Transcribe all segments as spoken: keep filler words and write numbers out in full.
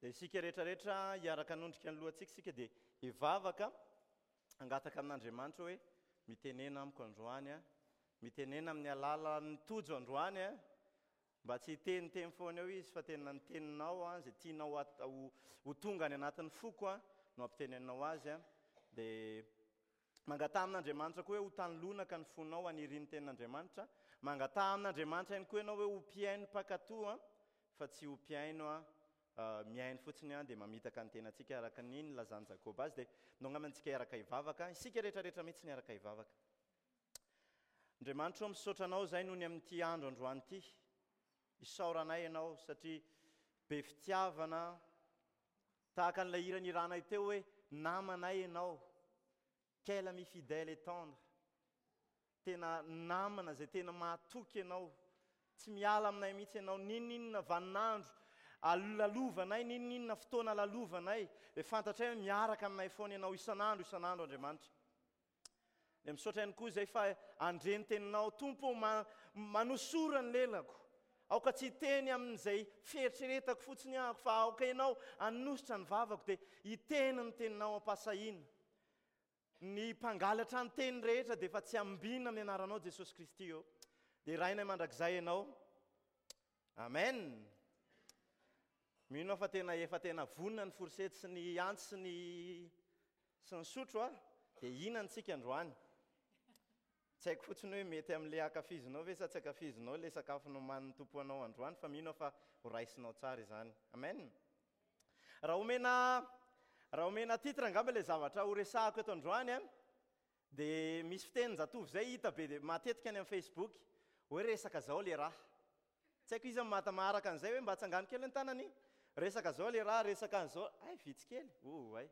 Dia isika rehetrarehetra hiaraka hanondrika ny lohantsika isika dia hivavaka, hangataka amin'Andriamanitra hoe mitenena amiko androany a, mitenena amin'ny alalan'ny Tojo androany a, mba tsy hiteniteny foana eo izy fa tena ny teninao a, izay tianao ho, ho tonga any anatin'ny foko a, no ampitenenao azy a. Dia mangataha amin'Andriamanitra koa hoe ho tany lonaka ny fonao hanirian'ny tenin'Andriamanitra. Mangataha amin'Andriamanitra ihany koa ianao hoe ho mpihaino mpankatò a, fa tsy ho mpihaino a, mihaino fotsiny a, dia mamitaka ny tenantsika araka ny nilazan'i Jakoba azy. Dia ndao angamba antsika hiaraka hivavaka, isika rehetrarehetra mihitsy ny hiaraka hivavaka. Andriamanitra ô, misaotra anao izay noho ny amin'ity andro androany ity. Isaoranay ianao satria be fitiavana, tahaka an'ilay hira niranay teo hoe namanay ianao. Quel ami fidèle et tendre. Tena namana izay tena mahatoky ianao. Tsy miala aminay mihitsy ianao, n'inon'inona vaninandro lalovanay, n'inon'inona fotoana lalovanay, dia fantatray hoe miaraka aminay foana ianao isan'andro isan'andro Andriamanitra. Dia misaotra ihany koa izay fa handre ny teninao, Tompo ô, manosora ny lelako. Aoka tsy hiteny amin'izay fieritreretako fotsiny aho, fa aoka ianao hanositra ny vavako, dia hiteny ny teninao am-pahasahiana. Ny mpangalatra ny teny rehetra dia efa tsy ambina amin'ny anaranao Jesosy Kristy ô. Dia Rainay mandrakizay ianao. Amen. Mino aho fa tena efa tena vonona ny fourchette sy ny antsy sy ny sy ny sotro a, dia hihinana isika androany. Tsy haiko fotsiny hoe mety amin'ilay ankafizinao ve sa tsy ankafizinao ilay sakafo nomanin'ny Tompo anao androany, fa mino aho fa ho raisinao tsara izany. Amen. Raha omena raha omena titre angamba ilay zavatra ho resahako eto androany a, dia misy fitenin-jatovo izay hita be dia matetika any amin'ny Facebook hoe resaka zao le raha. Tsy haiko iza mata maharaka an'izay hoe mba atsangano kely ny tanany. Resaka zao le raha, resaka an'izao. Ay, vitsy kely. Oh, ay.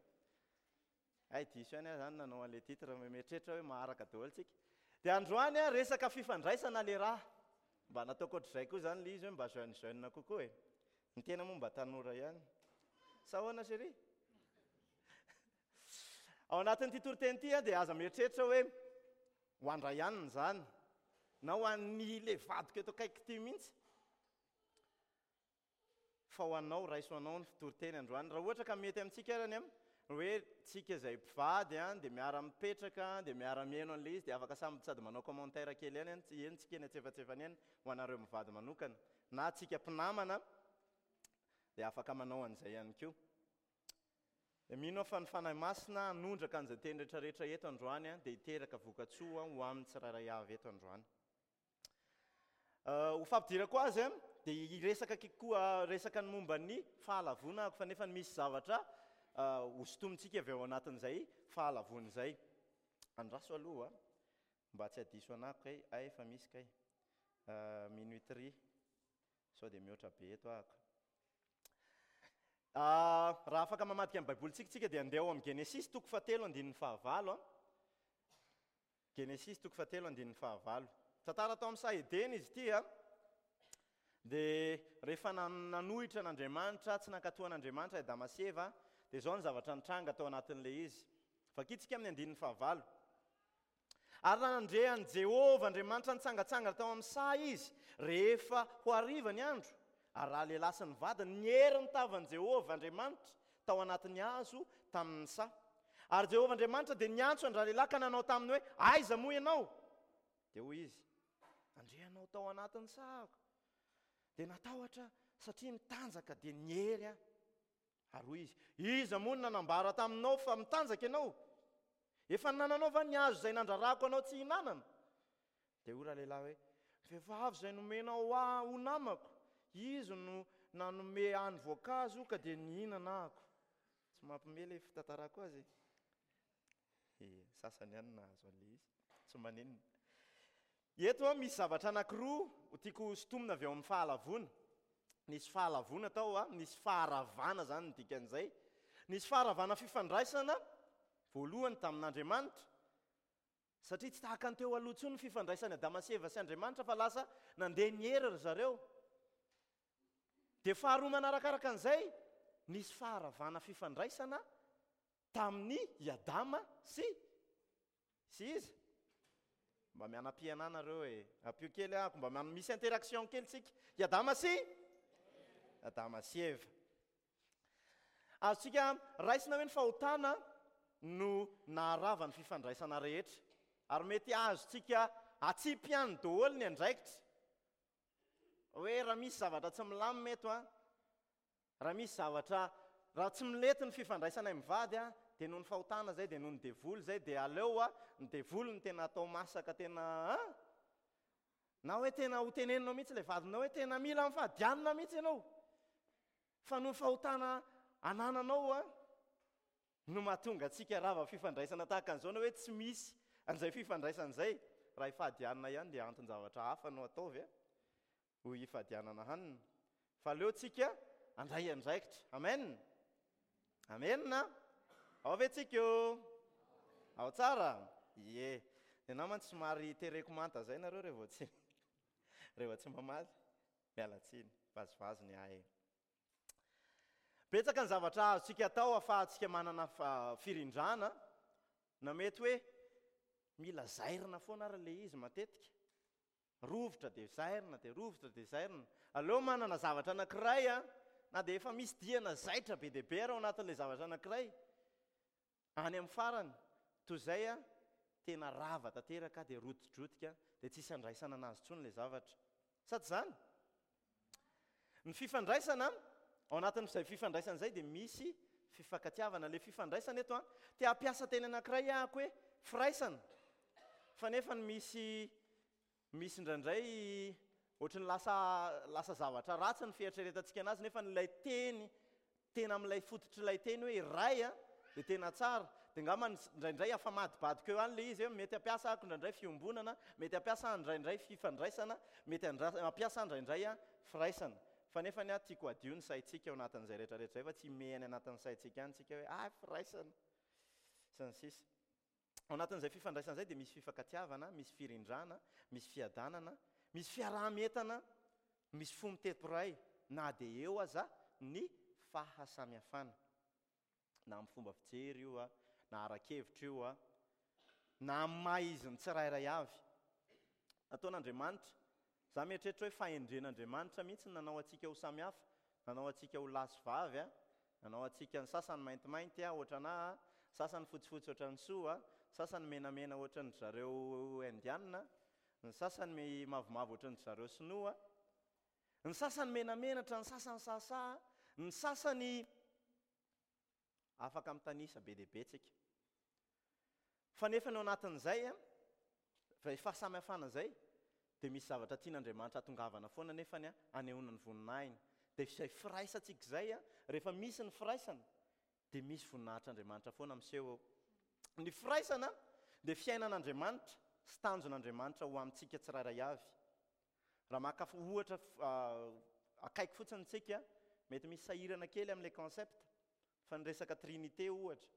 Ay, diso ihany aho zany nanao an'ilay titre, mieritreritra hoe maharaka daholo tsika. Dia androany a, resaka fifandraisana le raha. Mba nataoko ohatr'izay koa zany le izy hoe mba jeune jeune kokoa e. Ny tena moa mba tanora ihany. Sa ahoana chérie? Ao anatin'ity toriteny ity a, dia aza mieritreritra hoe ho andray ihany izany, na ho an'ny le vadiko eto akaiky ity mihitsy. Fa ho anao, raiso anao ny toriteny androany. Raha ohatra ka mety amintsika arany a, hoe tsika izay mpivady a, dia miara-mipetraka, dia miara-mihaino an'ilay izy, dia afaka samy sady manao commentaire kely ihany, eny tsika eny antsefatsefany eny, ho anareo mivady manokana. Na tsika mpinamana, dia afaka manao an'izay ihany koa. Dia mino aho fa ny Fanahy Masina hanondraka an'izay teny rehetrarehetra eto androany, dia hiteraka vokatsoa ho amin'ny tsirairay avy eto androany. Ho fampidirako azy, dia hiresaka koa resaka ny momba ny fahalavoana ako, fa nefa misy zavatra hosintomintsika avy ao anatin'izay fahalavoana izay. Andraso aloha, mba tsy hadiso anako kay, ay efa misy kay. Minuterie, sao dia mihoatra be eto ahako. Raha afaka mamadika ny Baibolintsika tsika dia andeha ao amin'ny Genesisy toko fahatelo andininy fahavalo. Genesisy toko fahatelo andininy fahavalo. Tantara tao amin'ny saha Edena izy ity a. Dia rehefa nanohitra an'Andriamanitra, tsy nankatò an'Andriamanitra i Adama sy Eva, dia izao ny zavatra nitranga tao anatin'ilay izy. Vakitsika amin'ny andininy fahavalo. Ary raha nandre an'i Jehovah Andriamanitra nitsangantsangana tao amin'ny saha izy, rehefa ho hariva ny andro, ary raha lehilahy sy ny vadiny niery ny tavan'i Jehovah Andriamanitra tao anatin'ny hazo tamin'ny saha. Ary Jehovah Andriamanitra dia niantso an-dralehilahy ka nanao taminy hoe, aiza moa ianao? Dia hoy izy, nandre anao tao anatin'ny sahako. Dia natahotra satria nitanjaka dia niery aho. Ary hoy izy, iza moa no nanambara taminao fa mitanjaka ianao? Efa nananao va ny hazo izay nandrarako anao tsy hihinanana? Dia hoy ralehilahy hoe, vehivavy izay nomenao ahy ho namako, izy no nanome ahy ny voankazo ka dia nihinana ahako. Tsy mampime ilay fitantarako azy e. Sasany ihany nahazo an'ilay izy, tsy maninona. Eto a, misy zavatra anankiroa ho tiako hosintomina avy ao amin'ny fahalavoana. Nisy fahalavoana tao a, nisy faharavana zany ny dikan'izay. Nisy faharavana fifandraisana voalohany tamin'Andriamanitra, satria tsy tahaka ny teo aloha intsony ny fifandraisan'i Adama sy Eva sy Andriamanitra, fa lasa nandeha niery ry zareo. Dia faharoa manarakaraka an'izay, nisy faharavana fifandraisana tamin'ny i Adama sy sy iza. Mba mianam-pianana nareo e, ampio kely ahako, mba misy interaction kely tsika. I Adama sy Adama sy Eva. Azontsika raisina hoe ny fahotana no naharava ny fifandraisana rehetra. Ary mety azontsika atsipy ihany daholo ny andraikitra. Hoe raha misy zavatra tsy milamina eto a, raha misy zavatra, raha tsy milety ny fifandraisana mivady a, dia noho ny fahotana zay, dia noho ny devoly zay, dia aleo a, ny devoly no tena atao masaka tena a? Na hoe tena ho teneninao mihitsy ilay vadinao hoe tena mila mifadianina mihitsy ianao. Fa noho ny fahotana anananao a, no mahatonga antsika rava fifandraisana tahaka an'izao, na hoe tsy misy an'izay fifandraisana izay. Raha ifadianina ihany dia anton-javatra hafa no ataovy a, ho ifadianana hanina. Fa aleo tsika andray andraikitra. Amen. Amen. Ao ve tsika io? Ao tsara? Ie. Dia namany somary tereko manta zay nareo rehefa tsy rehefa tsy mamaly. Miala tsiny, vazivazy ny ahy. Betsaka ny zavatra azontsika atao ahafahantsika manana firindrana, na mety hoe mila zairina foana ary ilay izy matetika. Rovitra dia zairina, dia rovitra dia zairina. Aleo manana zavatra anankiray a, na dia efa misy diana zaitra be dia be ary ao anatin'ilay zavatra anankiray. Any amin'ny farany, toy izay a, tena rava tanteraka dia rotidrotika, dia tsisy andraisana anazy intsony ilay zavatra. Sady izany, ny fifandraisana, ao anatin'izay fifandraisana izay dia misy fifankatiavana. Ilay fifandraisana eto a, te hampiasa teny anankiray ahako hoe firaisana. Fa nefa ny misy, misy indraindray ohatry ny lasa, lasa zavatra ratsy ny fieritreretantsika anazy, nefa ilay teny, tena amin'ilay fototr'ilay teny hoe iray a, dia tena tsara. Dia angamba indraindray afamadibadika eo ihany ilay izy hoe mety hampiasa ahako indraindray fiombonana, mety hampiasa indraindray fifandraisana, mety hampiasa indraindray a firaisana. Fa nefa ny ahy tiako hadio ny saintsika ao anatin'izay rehetrarehetra izay, fa tsy mihena anatin'ny saintsika ihany tsika hoe ah firaisana sy ny sisa. Ao anatin'izay fifandraisana izay dia misy fifankatiavana, misy firindrana, misy fiadanana, misy fiaraha-mientana, misy fo mitepo iray, na dia eo aza ny fahasamihafana. Na amin'ny fomba fijery io a, na ara-kevitra io a, na amin'ny maha izy ny tsirairay avy. Nataon'Andriamanitra, za mieritreritra hoe fahendren'Andriamanitra mihitsy ny nanao antsika ho samihafa, nanao antsika ho lahy sy vavy a, nanao antsika ny sasany maintimainty a, ohatrana a, sasany fotsifotsy ohatran'ny soa a, sasany menamena ohatran'ny zareo indianina, ny sasany mavomavo ohatran'ny zareo sinoa, ny sasany menamenatra, ny sasany sahasaha, ny sasany afaka mitanisa be dia be tsika. Fa nefa ny ao anatin'izay a, fa fahasamihafana izay, dia misy zavatra tian'Andriamanitra hatongavana foana nefa ny anehoana ny voninahiny. Dia izay firaisantsika izay a, rehefa misy ny firaisana, dia misy voninahitr'Andriamanitra foana miseho eo. Ny firaisana dia fiainan'Andriamanitra sy tanjon'Andriamanitra ho amintsika tsirairay avy. Raha maka ohatra akaiky fotsiny tsika, mety misy sahirana kely amin'ilay concept, fa ny resaka Trinité ohatra.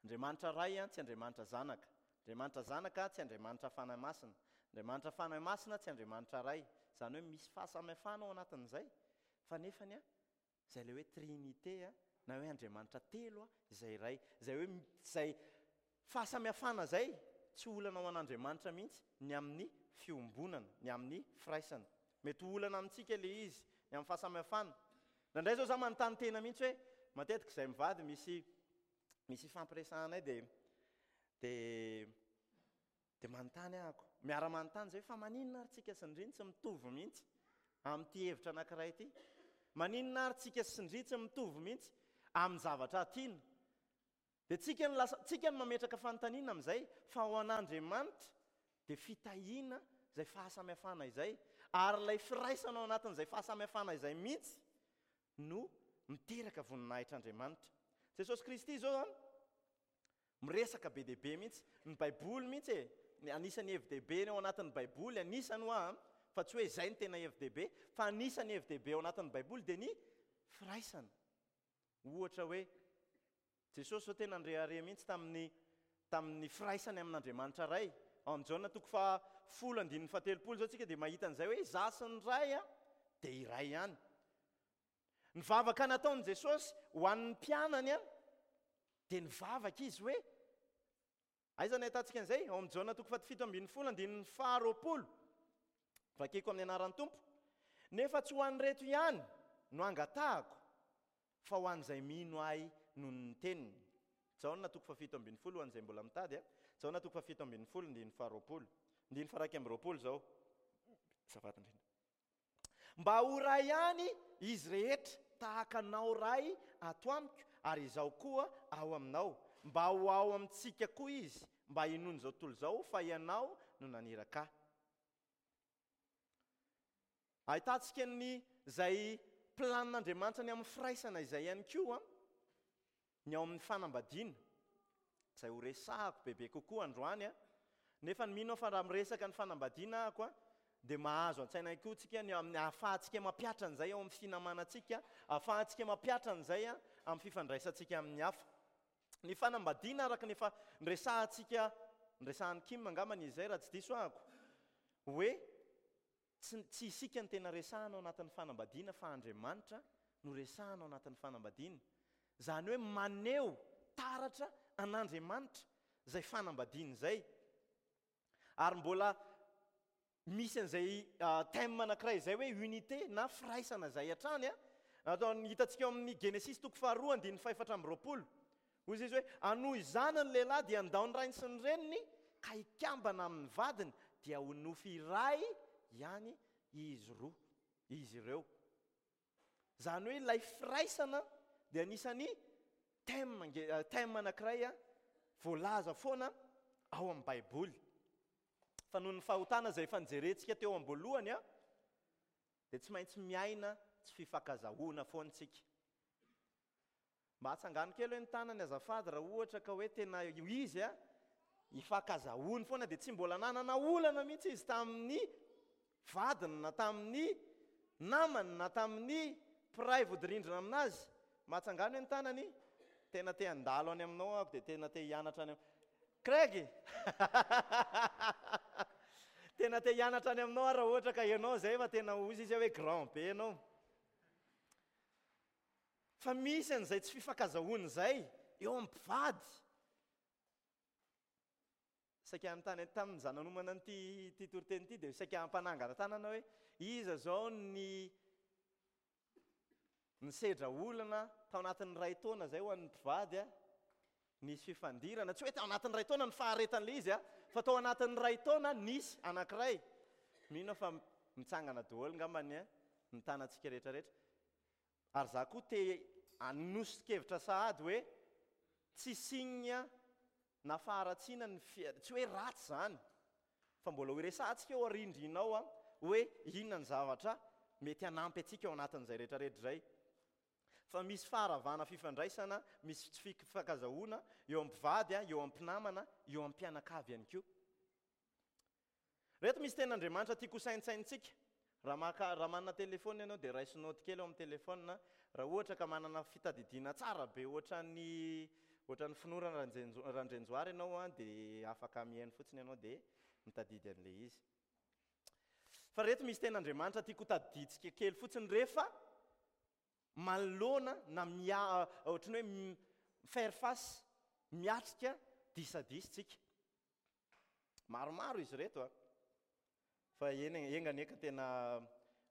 Andriamanitra Ray tsy Andriamanitra Zanaka, Andriamanitra Zanaka tsy Andriamanitra Fanahy Masina, Andriamanitra Fanahy Masina tsy Andriamanitra Ray. Izany hoe misy fahasamihafana ao anatin'izay, fa nefany a, izay ilay hoe Trinité a, na hoe Andriamanitra telo a, izay iray, izay hoe izay fahasamihafana izay tsy olana ho an'Andriamanitra mihitsy ny amin'ny fiombonana, ny amin'ny firaisana. Mety ho olana amintsika ilay izy, ny amin'ny fahasamihafana. Indraindray izao za manontany tena mihitsy hoe matetika izay mivady misy, misy ifampiresahanay dia, dia, dia manontany ahako. Miara-manontany izay hoe fa maninona ary tsika sy ndry tsy mitovy mihitsy amin'ity hevitra anankiray ity? Maninona ary tsika sy ndry tsy mitovy mihitsy amin'ny zavatra tiana? Dia tsika no lasa, tsika no mametraka fanontaniana amin'izay, fa ho an'Andriamanitra dia fitahiana izay fahasamihafana izay, ary ilay firaisana ao anatin'izay fahasamihafana izay mihitsy no miteraka voninahitr'Andriamanitra. Jesosy Kristy izao a, miresaka be dia be mihitsy, ny Baiboly mihitsy e, ny anisan'ny hevi-dehibe ao anatin'ny Baiboly, anisany hoa, fa tsy hoe izay no tena hevi-dehibe, fa anisan'ny hevi-dehibe ao anatin'ny Baiboly dia ny firaisana. Ohatra hoe Jesosy zao tena nirehareha mihitsy tamin'ny, tamin'ny firaisany amin'Andriamanitra Ray. Ao amin'ny Jaona toko fahafolo andininy fahatelopolo zao tsika dia mahita an'izay hoe izaho sy ny Ray a dia iray ihany. Ny vavaka nataon'i Jesosy ho an'ny mpianany a dia nivavaka izy hoe aiza no ahitantsika an'izay? Ao amin'ny Jaona toko fahafito ambin'ny folo andininy faharoapolo. Vakiko amin'ny anaran'ny Tompo. Nefa tsy ho an'ireto ihany no angatahako, fa ho an'izay mino ahy noho ny teniny. Jaona toko fahafito ambin'ny folo ho an'izay mbola mitady a. Jaona toko fahafito ambin'ny folo andininy faharoapolo. Andininy faha-iraika amby roapolo izao. Azafady indrindra. Mba ho ray ihany izy rehetra tahaka anao Ray ato amiko ary izaho koa ao aminao. Mba ho ao amintsika koa izy, mba hinoan'izao tontolo izao fa ianao no naniraka ahy. Ahitantsika ny izay planin'Andriamanitra ny amin'ny firaisana izay ihany koa ny ao amin'ny fanambadiana, izay ho resahako bebe kokoa androany a. Nefa ny mino aho fa raha miresaka ny fanambadiana ahako a, dia mahazo an-tsaina ihany koa tsika ny amin'ny ahafahantsika mampiatra an'izay ao amin'ny finamanantsika, ahafahantsika mampiatra an'izay a amin'ny fifandraisantsika amin'ny hafa. Ny fanambadiana araka ny efa niresahantsika, niresahan'i Kim angambany izay raha tsy diso ahako, hoe tsy, tsy isika no tena resahana ao anatin'ny fanambadiana fa Andriamanitra no resahana ao anatin'ny fanambadiana. Izany hoe maneho taratra an'Andriamanitra izay fanambadiana izay. Ary mbola misy an'izay thème anankiray izay hoe unité na firaisana izay hatrany a. Atao hitantsika ao amin'ny Genesisy toko faharoa andininy fahefatra amby roapolo. Hoy izy hoe anohy izany ny lehilahy dia handao ny rainy sy ny reniny ka hikambana amin'ny vadiny dia ho nofy iray ihany izy roa, izy ireo. Izany hoe ilay firaisana dia anisan'ny thème nge, thème anankiray a voalaza foana ao amin'ny Baiboly. Fa noho ny fahotana izay efa nijerentsika teo am-boalohany a, dia tsy maintsy miaina tsy fifankazahoana foana isika. Mba atsangano kely hoe ny tanany azafady raha ohatra ka hoe tena izy a ifankazahoany foana dia tsy mbola nanana olana mihitsy izy tamin'ny vadiny na tamin'ny namany na tamin'ny mpiray vodirindrina aminazy. Mba atsangano hoe ny tanany, tena te handalo any aminao aho dia tena te hianatra any am- Craig! Tena te hianatra any aminao aho raha ohatra ka ianao izay fa tena hozy izy hoe grand be ianao. Fa misy an'izay tsy fifankazahoana izay eo amin'ny mpivady. Saika hanontany tamin'ny zananomana an'ity ity toriteny ity dia saika hampanangana tanana hoe iza zao ny nisedra olana tao anatin'ny iray taona izay ho an'ny mpivady a, nisy fifandirana, tsy hoe tao anatin'ny iray taona ny faharetan'ilay izy a, fa tao anatin'ny iray taona nisy anankiray. Mino aho fa mitsangana daholo ngambany a, ny tanantsika rehetrarehetra. Ary za koa te hanoso-kevitra sahady hoe tsy signe na faharatsiana ny fi-, tsy hoe ratsy zany, fa mbola ho resahantsika eo aoriandriana ao a, hoe inona ny zavatra mety hanampy antsika ao anatin'izay rehetrarehetra izay. Fa misy faharavana fifandraisana, misy tsy fifankazahoana eo amin'ny mpivady a, eo amin'ny mpinamana, eo amin'ny mpianakavy ihany koa. Reto misy tenin'Andriamanitra tiako ho saintsaintsika. Raha maka, raha manana telefona ianao dia raiso note kely ao amin'ny telefona. Raha ohatra ka manana fitadidiana tsara be ohatran'ny, ohatran'ny finoana Randrenjo-, Randrenjoary ianao a, dia afaka mihaino fotsiny ianao dia mitadidy an'ilay izy. Fa reto misy tenin'Andriamanitra tiako ho tadidintsika kely fotsiny rehefa manoloana na mia-, ohatran'ny hoe m-, faire face, miatrika disadisa tsika. Maromaro izy reto a. Fa eny, enga anie ka tena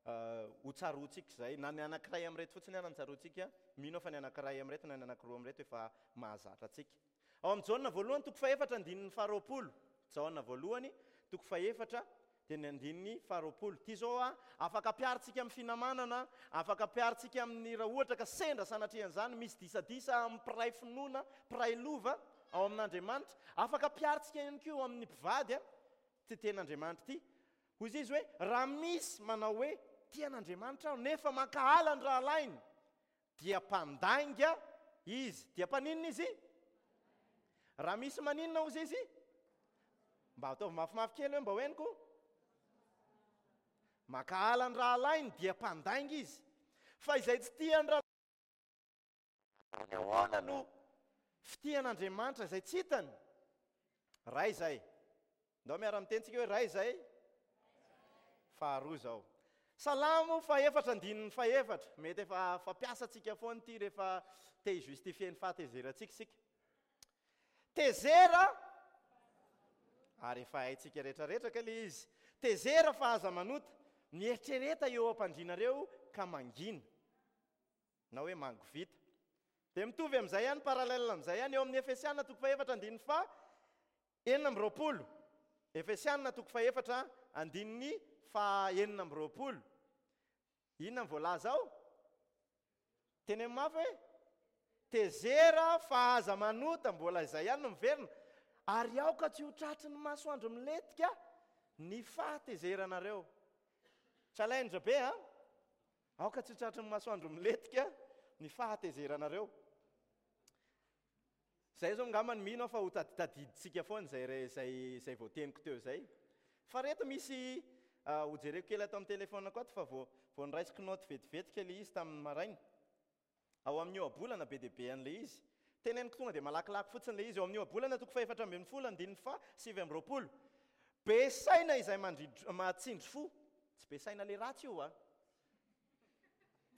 ho tsaroantsika izay. Na ny anankiray amin'ireto fotsiny ara ny tsaroantsika, mino aho fa ny anankiray amin'ireto na ny anankiroa amin'ireto efa mahazatra antsika. Ao amin'ny Jaona voalohany toko fahefatra andininy faharoapolo. Jaona voalohany toko fahefatra dia ny andininy faharoapolo. Ity izao a, afaka ampiharintsika amin'ny finamanana, afaka ampiharintsika amin'ny raha ohatra ka sendra sanatrian'izany misy disadisa amin'ny mpiray finoana, mpiray lova ao amin'Andriamanitra. Afaka ampiharintsika ihany koa amin'ny mpivady a, ity tenin'Andriamanitra ity. Hoy izy hoe raha misy manao hoe tia an'Andriamanitra aho nefa mankahala ny rahalahiny dia mpandainga izy. Dia mpaninona izy? Raha misy maninona hoy izy? Mba ataovy mafimafy kely hoe mba hoeniko. Mankahala ny rahalahiny dia mpandainga izy. Fa izay tsy tia ny rahalahiny ahoana no fitian'Andriamanitra izay tsy hitany? Ray izay. Ndao miara-miteny tsika hoe ray izay. Faharoa izao. Salamo fahefatra andininy fahefatra. Mety efa fampiasantsika foana ity rehefa te hi-justifier ny fahatezerantsika isika. Tezera, ary efa haintsika rehetrarehetra ka ilay izy. Tezera fa aza manota. Mieritrereta eo am-pandrianareo ka mangina. Na hoe mangovita. Dia mitovy amin'izay ihany, parallèle amin'izay ihany, eo amin'ny Efesiana toko fahefatra andininy faha enina amby roapolo. Efesiana toko fahefatra andininy faha enina amby roapolo. Inona ny voalaza ao? Teny amin'ny mafy hoe tezera fa aza manota, mbola izay ihany no miverina. Ary aoka tsy ho tratry ny masoandro milentika ny fahatezeranareo. Challenge be, a? Aoka tsy ho tratry ny masoandro milentika ny fahatezeranareo. Zay zao angamba ny mino aho fa ho taditadidintsika foana izay re- izay izay voateniko teo izay. Fa reto misy ho jereko kely ato amin'ny telefaoniko ato fa vao vao noraisiko note vetivety kely izy tamin'ny maraina. Ao amin'ny ohabolana be dia be an'ilay izy. Teneniko tonga dia malakilaky fotsiny ilay izy. Ao amin'ny ohabolana toko fahefatra ambin'ny folo andininy faha sivy amby roapolo. Be saina izay mandridro- mahatsindry fo. Tsy be saina le ratsy io a.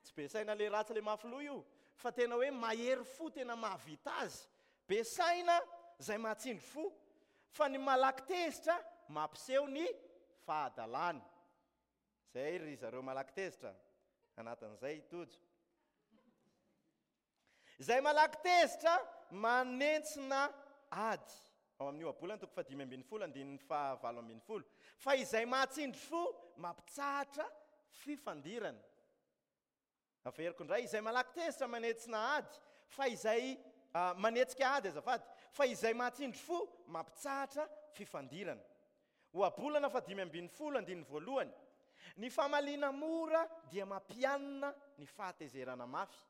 Tsy be saina le ratsy le mafy loha io, fa tena hoe mahery fo, tena mahavita azy. Be saina izay mahatsindry fo, fa ny malaky tezitra mampiseho ny fahadalany. Zay ry zareo malaky tezitra, anatin'izay i Tojo. Izay malaky tezitra manentsina ady. Ao amin'ny ohabolana toko fahadimy ambin'ny folo andininy fahavalo ambin'ny folo. Fa izay mahatsindry fo mampitsahatra fifandirana. Averiko indray, izay malaky tezitra manetsina ady, fa izay manetsika ady azafady, fa izay mahatsindry fo mampitsahatra fifandirana. Ohabolana fahadimy ambin'ny folo andininy voalohany. Ny famaliana mora dia mampianina ny fahatezerana mafy.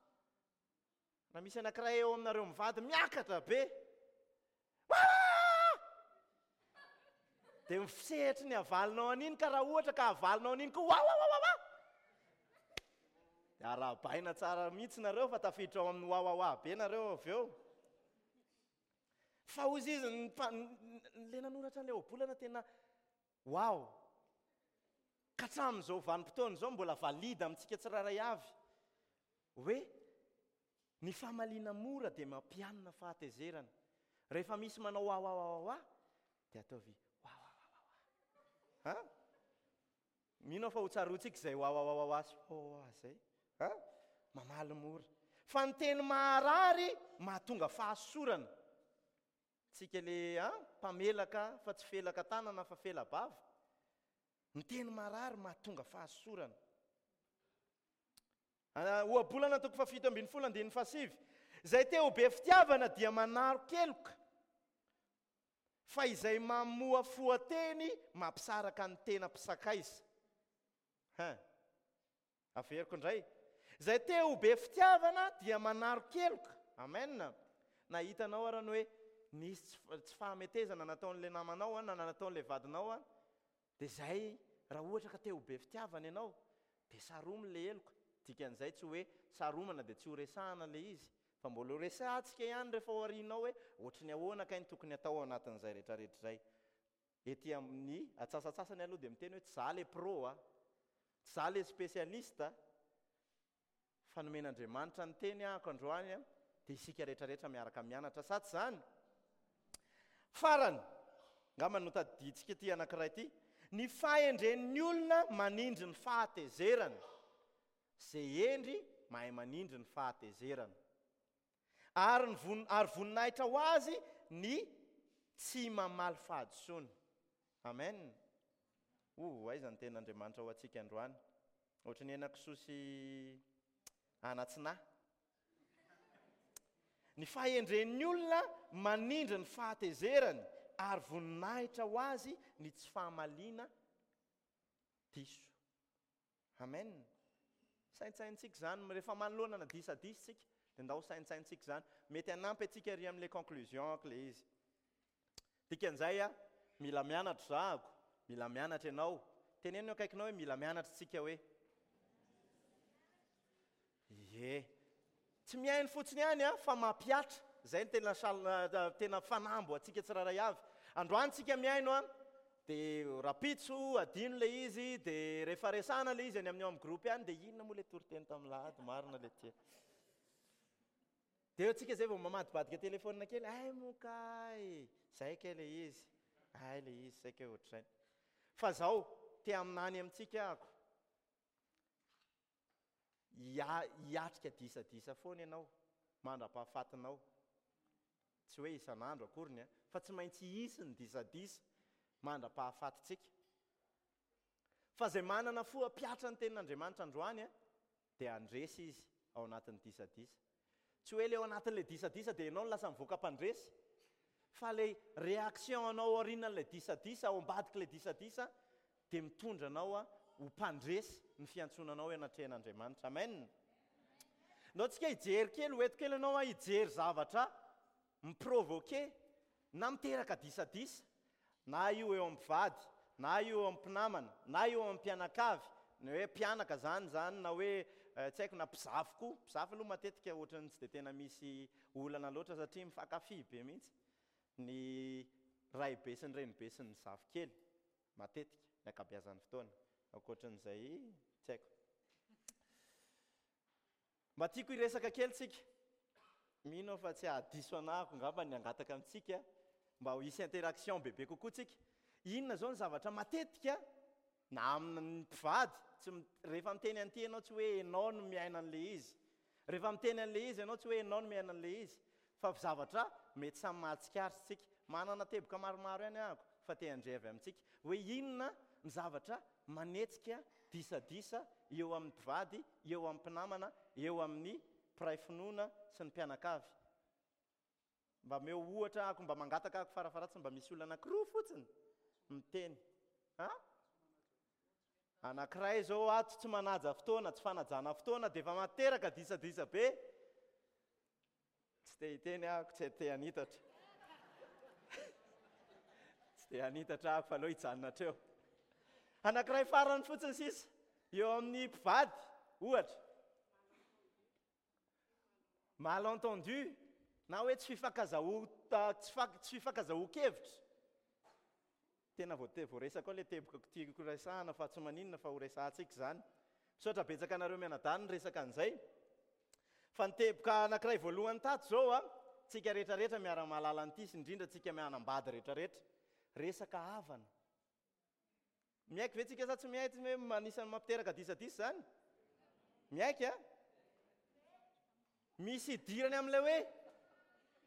Raha misy anankiray eo aminareo mivady miakatra be, Waa! Dia misehatry ny havalinao an'iny, ka raha ohatra ka havalinao an'iny koa, wawawawawa! Dia arahabaina tsara mihitsy nareo fa tafiditra ao amin'ny wawawa be nareo avy eo. Fa hozy izy, ny mpa-, ny le nanoratra an'ilay ohabolana tena wow! Ka hatramin'izao vanim-potoana izao mbola valide amintsika tsirairay avy hoe ny famaliana mora dia mampianina fahatezerana. Rehefa misy manao wawawawawa dia ataovy wawawawawa. Ha? Mino aho fa ho tsaroantsika izay wawawawawa sy wawawawa izay. Ha? Mamaly mora. Fa ny teny maharary mahatonga fahasorana. Tsika le, ha? Mpamelaka fa tsy felaka tanana fa fela-bava. Ny teny marary mahatonga fahasorana. Ohabolana toko fahafito ambin'ny folo andininy fahasivy. Izay te ho be fitiavana dia manaro-keloka, fa izay mamoafoa teny mampisaraka ny tena mpisakaiza. Hein. Averiko indray. Izay te ho be fitiavana dia manaro-keloka. Amen. Na hitanao ara ny hoe nisy tsy fahametezana nataon'ilay namanao na nataon'ilay vadinao, dia zay raha ohatra ka te ho be fitiavana ianao dia saromy ilay heloka. Dikan'izay tsy hoe saromana dia tsy ho resahana ilay izy, fa mbola ho resahantsika ihany rehefa ao aorianao hoe ohatry ny ahoana kay ny tokony atao ao anatin'izay rehetrarehetra izay. Ety amin'ny atsasatsasany aloha dia miteny hoe tsy za le pro a, tsy za le spécialiste, fa nomen'Andriamanitra ny teny ahako androany a, dia isika rehetrarehetra miaraka mianatra, sa tsy zany? Farany, angamba no tadidintsika ity anankiray ity, ny fahendren'ny olona manindry ny fahatezerana. Izay hendry mahay manindry ny fahatezerana. Ary ny von-, ary voninahitra ho azy ny tsy mamaly fahadisoana. Amen. O, aiza ny tenin'Andriamanitra ho antsika androany? Ohatry ny henakisoa sy anatsinahy. Ny fahendren'ny olona manindry ny fahatezerany, ary voninahitra ho azy ny tsy fahamaliana diso. Amen. Saintsaintsika izany, rehefa manoloana na disadisa isika, dia ndao saintsaintsika izany. Mety hanampy antsika ary amin'ilay conclusion ilay izy. Dikan'izay a, mila mianatra zahako, mila mianatra ianao. Teneno eo akaikinao hoe mila mianatra isika hoe. Ie. Tsy mihaino fotsiny ihany a, fa mampihatra. Izay no tena sal-, tena fanambo antsika tsirairay avy. Androany tsika mihaino a, dia rapitso adino ilay izy, dia rehefa resahana ilay izy any amin'ny ao amin'ny groupe any, dia inona moa ilay toriteny tamin'ny lahady marina ilay tia. Dia eo tsika izay vao mamadibadika telefona kely, ay moa kay, zay kay ilay izy, ay ilay izy, zay kay ohatr'izay. Fa zao, te haminany amintsika ako, Hia-, hiatrika disadisa foana ianao. mandra-pahafatinao. Tsy hoe isan'andro akoriny a, fa tsy maintsy hisy ny disadisa mandra-pahafatintsika. Fa izay manana fo hampiatra ny tenin'Andriamanitra androany a, dia handresy izy ao anatin'ny disadisa. Tsy hoe le ao anatin'ilay disadisa dia ianao no lasa mivoaka mpandresy, fa ilay réaction anao aorianan'ilay disadisa, ao ambadik'ilay disadisa, dia mitondra anao a ho mpandresy ny fiantsoana anao eo anatrehan'Andriamanitra. Amen. Ndao tsika hijery kely, ho eto kely ianao a, hijery zavatra miprovoquer na miteraka disadisa, na io eo amin'ny mpivady, na io eo amin'ny mpinamana, na eo amin'ny mpianakavy, na hoe mpianaka zany zany, na hoe tsy haiko, na mpizafy koa. Mpizafy aloha matetika ohatran'ny tsy dia tena misy olana loatra satria mifankafy be mihitsy ny raibe sy ny renibe sy ny zafikely matetika ny ankabeazan'ny fotoana. Ankoatran'izay tsy haiko. Mba tiako hiresaka kely tsika. Mino aho fa tsy hahadiso anahako angamba ny hangataka amintsika mba ho hisy interaction bebe kokoa tsika. Inona zao ny zavatra matetika na amin'ny mpivady, tsy rehefa miteny an'ity ianao tsy hoe ianao no miaina an'ilay izy. Rehefa miteny an'ilay izy ianao tsy hoe ianao no miaina an'ilay izy, fa zavatra mety samy mahatsikaritra tsika. Manana teboka maromaro ihany ahako fa te handre avy amintsika hoe inona ny zavatra manetsika disadisa eo amin'ny mpivady, eo amin'ny mpinamana, eo amin'ny mpiray finoana sy ny mpianakavy. Mba omeo ohatra ahako, mba mangataka ahako farafaharatsiny mba misy olona anankiroa fotsiny miteny. Ha? Anankiray zao ato tsy manaja fotoana, tsy fanajana fotoana dia efa materaka disadisa be. Tsy te hiteny ahako, tsy te hanitatra. Tsy te hanitatra ahako fa aleo hijanona hatreo. Anankiray farany fotsiny sisa eo amin'ny mpivady ohatra. Malentendu na hoe tsy fifankazaho, tsy fa-, tsy fifankazahoan-kevitra. Tena voate-, voaresaka ao ilay teboka tiako resahana fa tsy maninona fa ho resahantsika izany. Misaotra betsaka anareo mianadahy ny resaka an'izay. Fa ny teboka anankiray voalohany tato zao a, tsika rehetrarehetra miara-mahalala an'ity sy indrindra tsika mianambady rehetrarehetra. Resaka havana. Miaiky ve tsika sa tsy miaiky hoe anisan'ny mampiteraka disadisa izany? Miaiky a? Misy idirany amin'ilay hoe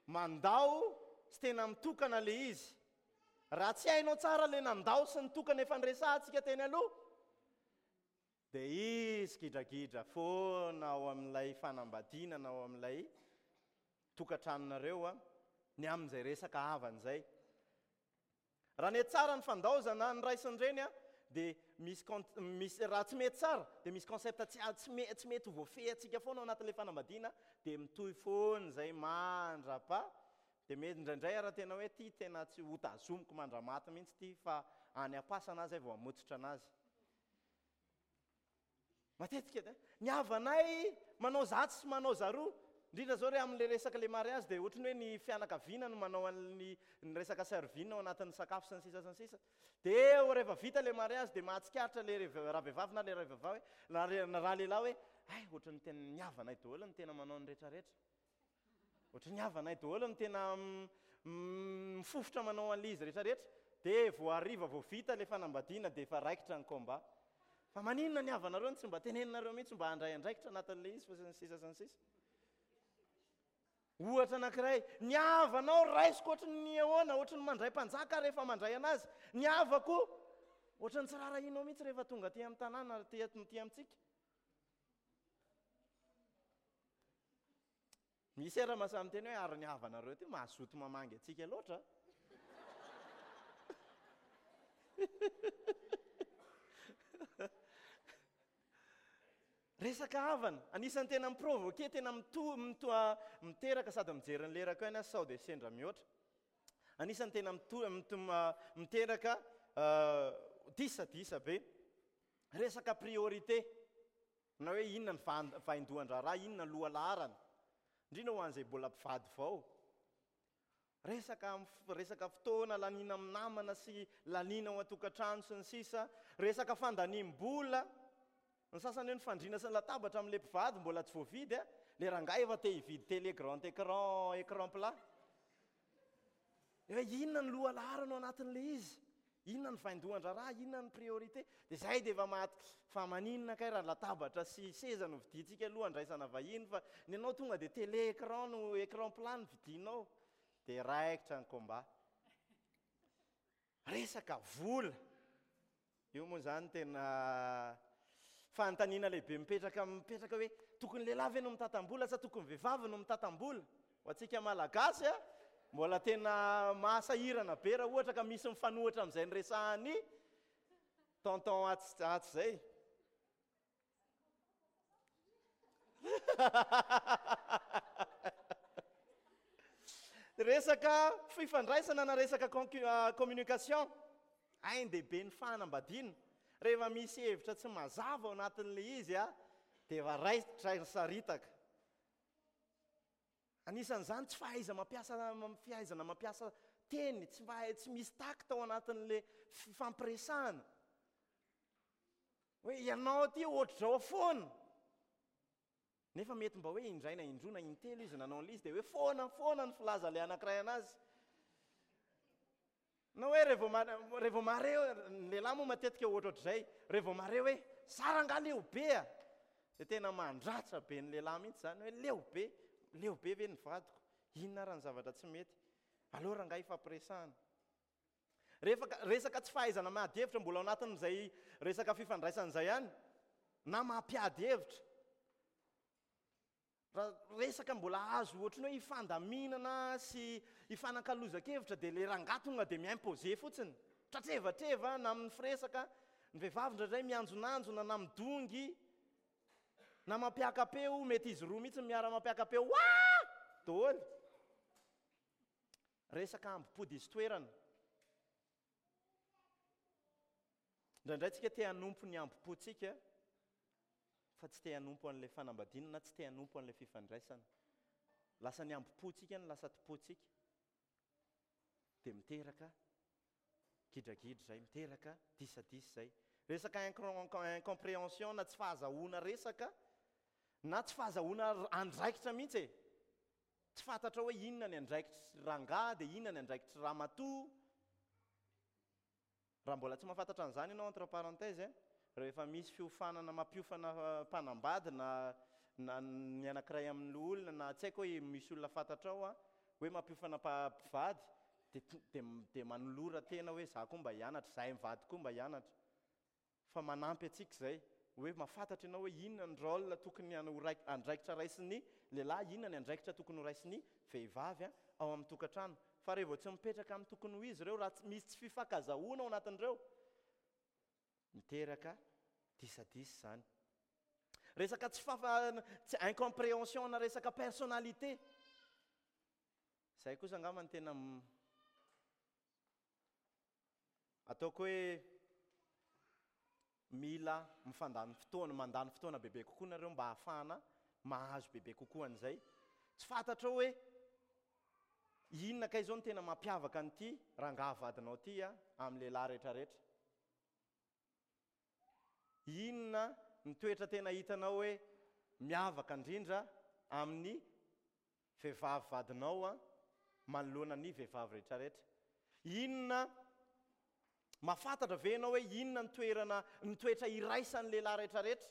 mandao sy tena mitokana ilay izy. Raha tsy hainao tsara ilay nandao sy nitokana efa niresahantsika teny aloha, dia izy gidragidra foana ao amin'ilay fanambadiana na ao amin'ilay tokantranonareo a, ny amin'izay resaka havana izay. Raha nety tsara ny fandaozana ny ray sy ny reny a, dia misy con-, misy, raha tsy mety tsara, dia misy concept tsy, tsy me-, tsy mety ho voafehintsika foana ao anatin'ilay fanambadiana, dia mitohy foana izay mandrapa. Dia mety indraindray raha tena hoe ty tena tsy ho tazomiko mandramaty mihitsy ty, fa any am-pasana azy vao hamotsitra anazy. Matetika dia ny havanay manao zatsy sy manao zaroa, indrindra zao re amin'ilay resaka le mariage dia ohatran'ny hoe ny fianakaviana no manao an'ny ny resaka servine ao anatin'ny sakafo sy ny sisa sy ny sisa. Dia rehefa vita le mariage dia mahatsikaritra le re-, raha vehivavy na le raha vehivavy hoe, na re-, na raha lehilahy hoe, ay, ohatran'ny tena ny havanay daholo no tena manao ny rehetrarehetra. Ohatran'ny havanay daholo no tena m-, m-, mifofotra manao an'ilay izy rehetrarehetra. Dia vao hariva vao vita le fanambadiana dia efa raikitra ny combat. Fa maninona ny havanareo no tsy mba teneninareo mihitsy mba handray andraikitra anatin'ilay izy fa sy ny sisa sy ny sisa. Ohatra anankiray, ny havanao raisiko ohatran'ny ahoana, ohatran'ny mandray mpanjaka rehefa mandray anazy. Ny havako ohatran'ny tsy raharahianao mihitsy rehefa tonga aty amin'ny tanàna, aty, aty amintsika. Misy ara mahasahy miteny hoe ary ny havanareo ty mahazoto mamangy antsika loatra. Resaka havana, anisan'ny tena miprovoquer, tena mito-, mito-, miteraka sady mijery ny lerako ihany aho sao dia sendra mihoatra. Anisan'ny tena mito-, mito-, miteraka, euh, disadisa be. Resaka priorité, na hoe inona ny vahan-, vaindohan-draharaha, inona ny lohalaharana. Indrindra ho an'izay mbola mpivady vao. Resaka am-, resaka fotoana laniana amin'ny namana sy laniana ao an-tokantrano sy ny sisa. Resaka fandaniam-bola. Ny sasany hoe ny fandriana sy ny latabatra amin'ilay mpivady mbola tsy voavidy a. Le rangahy efa te hividy télé grand écran, écran plat. Hoe inona ny lohalaharana ao anatin'ilay izy? Inona Inona ny vaindohan-draharaha, inona ny priorité? Dia izay dia efa maty. Fa maninona kay raha latabatra sy seza no vidintsika aloha andraisana vahiny, fa ny anao tonga dia télé écran no écran plat no vidinao. Dia raikitra ny combat. Resaka vola. Io moa izany tena fanontaniana lehibe mipetraka, mipetraka hoe tokony lehilahy ve no mitantam-bola sa tokony vehivavy no mitantam-bola? Ho antsika Malagasy a, mbola tena mahasahirana be raha ohatra ka misy mifanohitra amin'izay niresahan'ny tonton atsy, atsy izay. Resaka fifandraisana na resaka communication, ain-dehibe ny fanambadiana. Rehefa misy hevitra tsy mazava ao anatin'ilay izy a, dia efa raikitra ny saritaka. Anisan'izany tsy fahaiza mampiasa, fihaizana mampiasa teny, tsy mahay, tsy misy tact ao anatin'ilay fifampiresahana. Hoe ianao aty ohatr'izao foana. Nefa mety mba hoe indray na indroa na intelo izy nanao an'ilay izy, dia hoe foana foana ny filaza ilay anankiray anazy. Na hoe rehefa ma-, rehefa mare, ny lehilahy moa matetika ohatrohatr'izay, rehefa mare hoe za rangahy leo be a, dia tena mandratra be ny lehilahy mihitsy izany hoe leo be, leo be ve ny vadiko, inona ary ny zavatra tsy mety, aleo rangahy hifampiresahana. Rehefa ka-, resaka tsy fahaizana miady hevitra mbola ao anatin'izay resaka fifandraisana izay ihany, na mampiady hevitra. Raha resaka mbola azo ohatran'ny hoe hifandaminana sy hifanakalozan-kevitra dia ilay rangahy tonga dia mi-imposer fotsiny. Tratrevatreva na amin'ny firesaka, ny vehivavy indraindray mianjonanjona na midongy na mampiaka-peo, mety izy roa mihitsy miara-mampiaka-peo, waa! Daholo. Resaka ambom-pody izy toerana. Indraindray tsika te hanompo ny ambom-pontsika fa tsy te hanompo an'ilay fanambadiana na tsy te hanompo an'ilay fifandraisana. Lasa ny ambom-pontsika no lasa tompontsika. Dia miteraka gidragidra izay, miteraka disadisa izay. Resaka incompréhension na tsy fahazahoana resaka na tsy fahazahoana andraikitra mihitsy e. Tsy fantatra hoe inona ny andraikitry rangahy dia inona ny andraikitry ramatoa. Raha mbola tsy mahafantatra an'izany ianao, entre parenthèses, rehefa misy fiofanana mampiofana mpanambady na, na ny anankiray amin'ny loholona na tsy haiko hoe misy olona fantatrao a, hoe mampiofana mpivady, dia, dia, dia manolora tena hoe za koa mba hianatra, zahay mivady koa mba hianatra. Fa manampy antsika izay, hoe mahafantatra ianao hoe inona ny rôle tokony ho raik-, andraikitra raisin'ny lehilahy, inona ny andraikitra tokony ho raisin'ny vehivavy a, ao amin'ny tokantrano. Fa rehefa vao tsy mipetraka amin'ny tokony ho izy ireo, raha tsy misy tsy fifankazahoana ao anatin'ireo, miteraka disadisa izany. Resaka tsy fafa-, tsy incompréhension na resaka personnalité. Izay kosa angamba ny tena m-, ataoko hoe mila mifandany fotoana, mandany fotoana bebe kokoa nareo mba hahafahana mahazo bebe kokoa an'izay. Tsy fantatrao hoe inona kay izao no tena mampiavaka an'ity rangahy vadinao ity a, amin'ny lehilahy rehetrarehetra. Inona ny toetra tena hitanao hoe miavaka indrindra amin'ny vehivavy vadinao a, manoloana ny vehivavy rehetrarehetra. Inona mahafantatra ve ianao hoe inona ny toerana, ny toetra iraisan'ny lehilahy rehetrarehetra?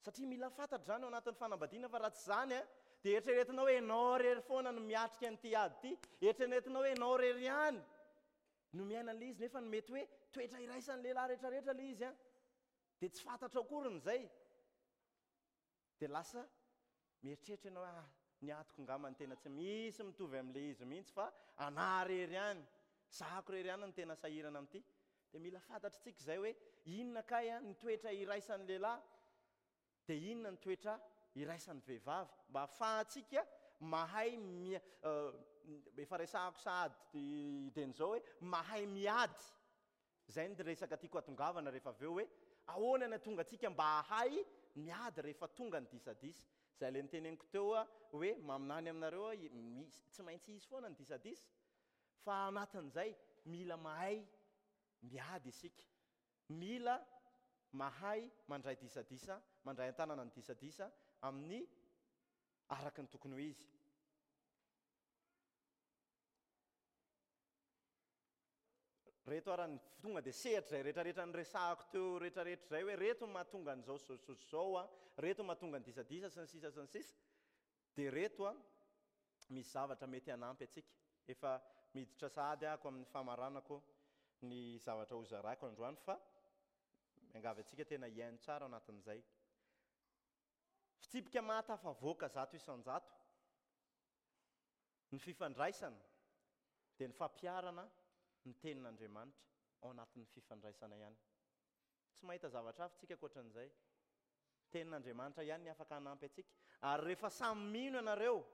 Satria mila fantatra izany ao anatin'ny fanambadiana, fa raha tsy izany a, dia eritreretinao hoe ianao irery foana no miatrika an'ity ady ity, eritreretinao hoe ianao irery ihany no miaina an'ilay izy, nefa ny mety hoe toetra iraisan'ny lehilahy rehetrarehetra ilay izy a, dia tsy fantatrao akory izay. Dia lasa mieritreritra ianao hoe, ah, ny atiko angamba ny tena tsy misy mitovy amin'ilay izy mihitsy fa anà irery ihany, zahako irery ihany no tena sahirana amin'ity. Dia mila fantatritsika izay hoe inona kay a, ny toetra iraisan'ny lehilahy, dia inona ny toetra iraisan'ny vehivavy, mba ahafahantsika mahay mia-, efa resahako sahady dieny izao hoe mahay miady. Izay ny resaka tiako hatongavana rehefa avy eo hoe ahoana ny hatonga antsika mba hahay miady rehefa tonga ny disadisa. Izay ilay niteneniko teo hoe maminany aminareo hoe misy, tsy maintsy hisy foana ny disadisa, fa anatin'izay mila mahay miady isika, mila mahay mandray disadisa, mandray an-tanana ny disadisa amin'ny araka ny tokony ho izy. Reto ara ny tonga dia sehatra izay rehetrarehetra niresahako teo rehetrarehetra izay hoe reto mahatonga an'izao zao zao zao a, reto mahatonga ny disadisa sy ny sisa sy ny sisa. Dia reto a misy zavatra mety hanampy antsika. Efa miditra sahady ahako amin'ny famaranako ny zavatra hozaraiko androany, fa miangavy antsika tena hihaino tsara ao anatin'izay. Fitsipika mahatafavoaka zato isan-jato ny fifandraisana dia ny fampiharana ny tenin'Andriamanitra ao anatin'ny fifandraisana ihany. Tsy mahita zavatra hafa tsika ankoatran'izay. Tenin'Andriamanitra ihany ny afaka hanampy antsika. Ary rehefa samy mino ianareo,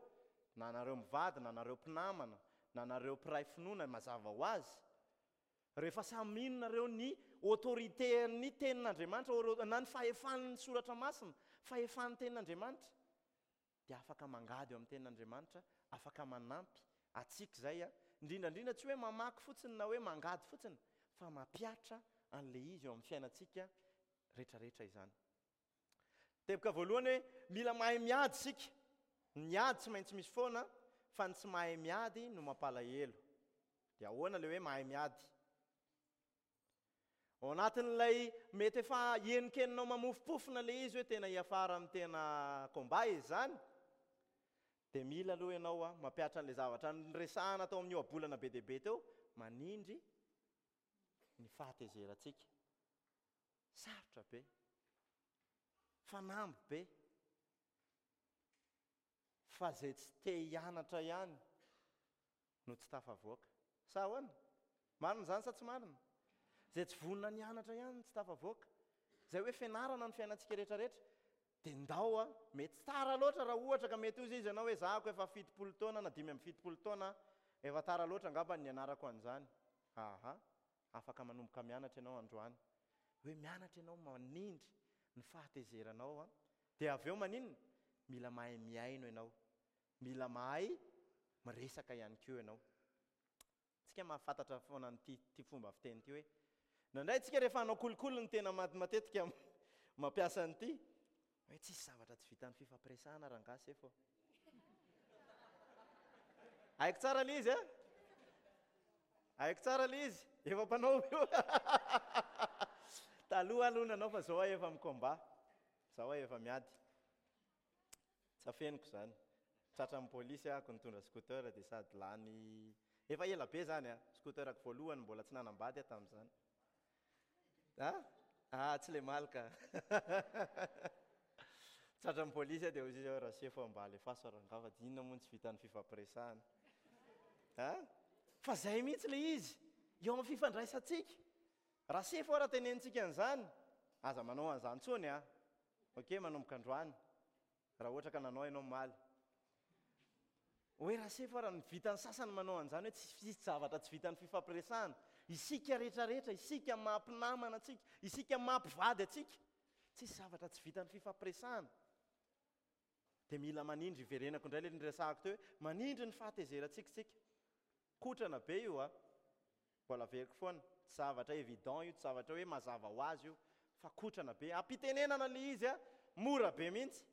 na anareo mivady, na anareo mpinamana, na anareo mpiray finoana, mazava ho azy, rehefa samy mino nareo ny autorité-n'ny tenin'Andriamanitra, na ny fahefan'ny soratra masina, fahefan'ny tenin'Andriamanitra, dia afaka mangady eo amin'ny tenin'Andriamanitra, afaka manampy antsika izay a. Indrindra indrindra tsy hoe mamaky fotsiny na hoe mangady fotsiny, fa mampihatra an'ilay izy eo amin'ny fiainantsika rehetrarehetra izany. Teboka voalohany hoe mila mahay miady isika. Ny ady tsy maintsy misy foana, fa ny tsy mahay miady no mampalahelo. Dia ahoana ilay hoe mahay miady? Ao anatin'ilay mety efa henonkeninao mamofopofona ilay izy hoe tena hiafara amin'ny tena combat izy izany, dia mila aloha ianao a mampihatra an'ilay zavatra niresahana tao amin'ny ohabolana be dia be teo, manindry ny fahatezerantsika. Sarotra be, fanamby be, fa izay tsy te hianatra ihany no tsy tafavoaka. Sa ahoana? Marina izany sa tsy marina? Izay tsy vonona nianatra ihany no tsy tafavoaka. Izay hoe fianarana ny fiainantsika rehetrarehetra, dia ndao a, mety tara loatra raha ohatra ka mety hozy izy ianao hoe zahako efa fitopolo taona na dimy amby fitopolo taona, efa tara loatra angamba ny nianarako an'izany. Aha, afaka manomboka mianatra ianao androany. Hoe mianatra ianao manindry ny fahatezeranao a. Dia avy eo maninona? Mila mahay mihaino ianao. Mila mahay miresaka ihany koa ianao. Tsika mahafantatra foana an'ity ty fomba fiteny ity hoe indraindray tsika rehefa hanao kolikoly ny tena matetika mampiasa an'ity hoe tsisy zavatra tsy vitan'ny fifampiresahana rangahy sefo. Haiko tsara ilay izy a? Haiko tsara ilay izy, efa mpanao io. Taloha aloha nanao fa zao aho efa mi-combat, zao aho efa miady. Tsy afeniko izany. Tratran'ny polisy ahako nitondra scooter dia sady lany efa ela be zany a, scooterako voalohany mbola tsy nanambady aho tamin'izany. Ah? Ah, tsy le malika. Tratran'ny polisy aho dia hoy izy hoe rasefo mba alefaso rangahy fa inona moa no tsy vitan'ny fifampiresahana. Ah? Fa zay mihitsy le izy eo amin'ny fifandraisantsika. Rasefo raha tenenitsika an'izany, aza manao an'izany intsony a. Ok, manomboka androany. Raha ohatra ka nanao ianao omaly. Hoe rasefo raha ny vitan'ny sasany manao an'izany hoe tsy misy zavatra tsy vitan'ny fifampiresahana. Isika rehetrarehetra, isika mampinamana antsika, isika mampivady antsika, tsisy zavatra tsy vitan'ny fifampiresahana. Dia mila manindry, iverenako indray ilay niresahako teo hoe manindry ny fahatezerantsika isika. Kotrana be io a. Mbola averiko foana, tsy zavatra évident io, tsy zavatra hoe mazava ho azy io, fa kotrana be. Ampitenenana ilay izy a, mora be mihitsy.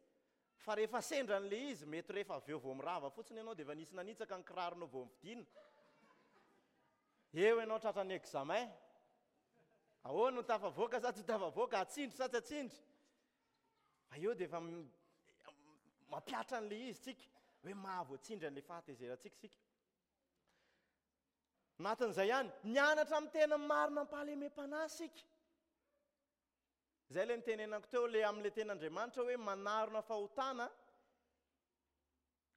Fa rehefa sendra an'ilay izy, mety rehefa avy eo vao mirava fotsiny ianao dia efa nisy nanitsaka ny kiraronao vao mividiana. Eo ianao tratran'ny examen. Ahoana no tafavoaka sa tsy tafavoaka, atsindry sa tsy atsindry? Fa eo dia efa mampihatra an'ilay izy tsika, hoe mahavoatsindry an'ilay fahatezerantsika isika. Anatin'izay ihany, mianatra amin'ny tena marina am-pahalemem-panahy isika. Izay ilay nitenenako teo, ilay amin'ilay tenin'Andriamanitra hoe manarona fahotana.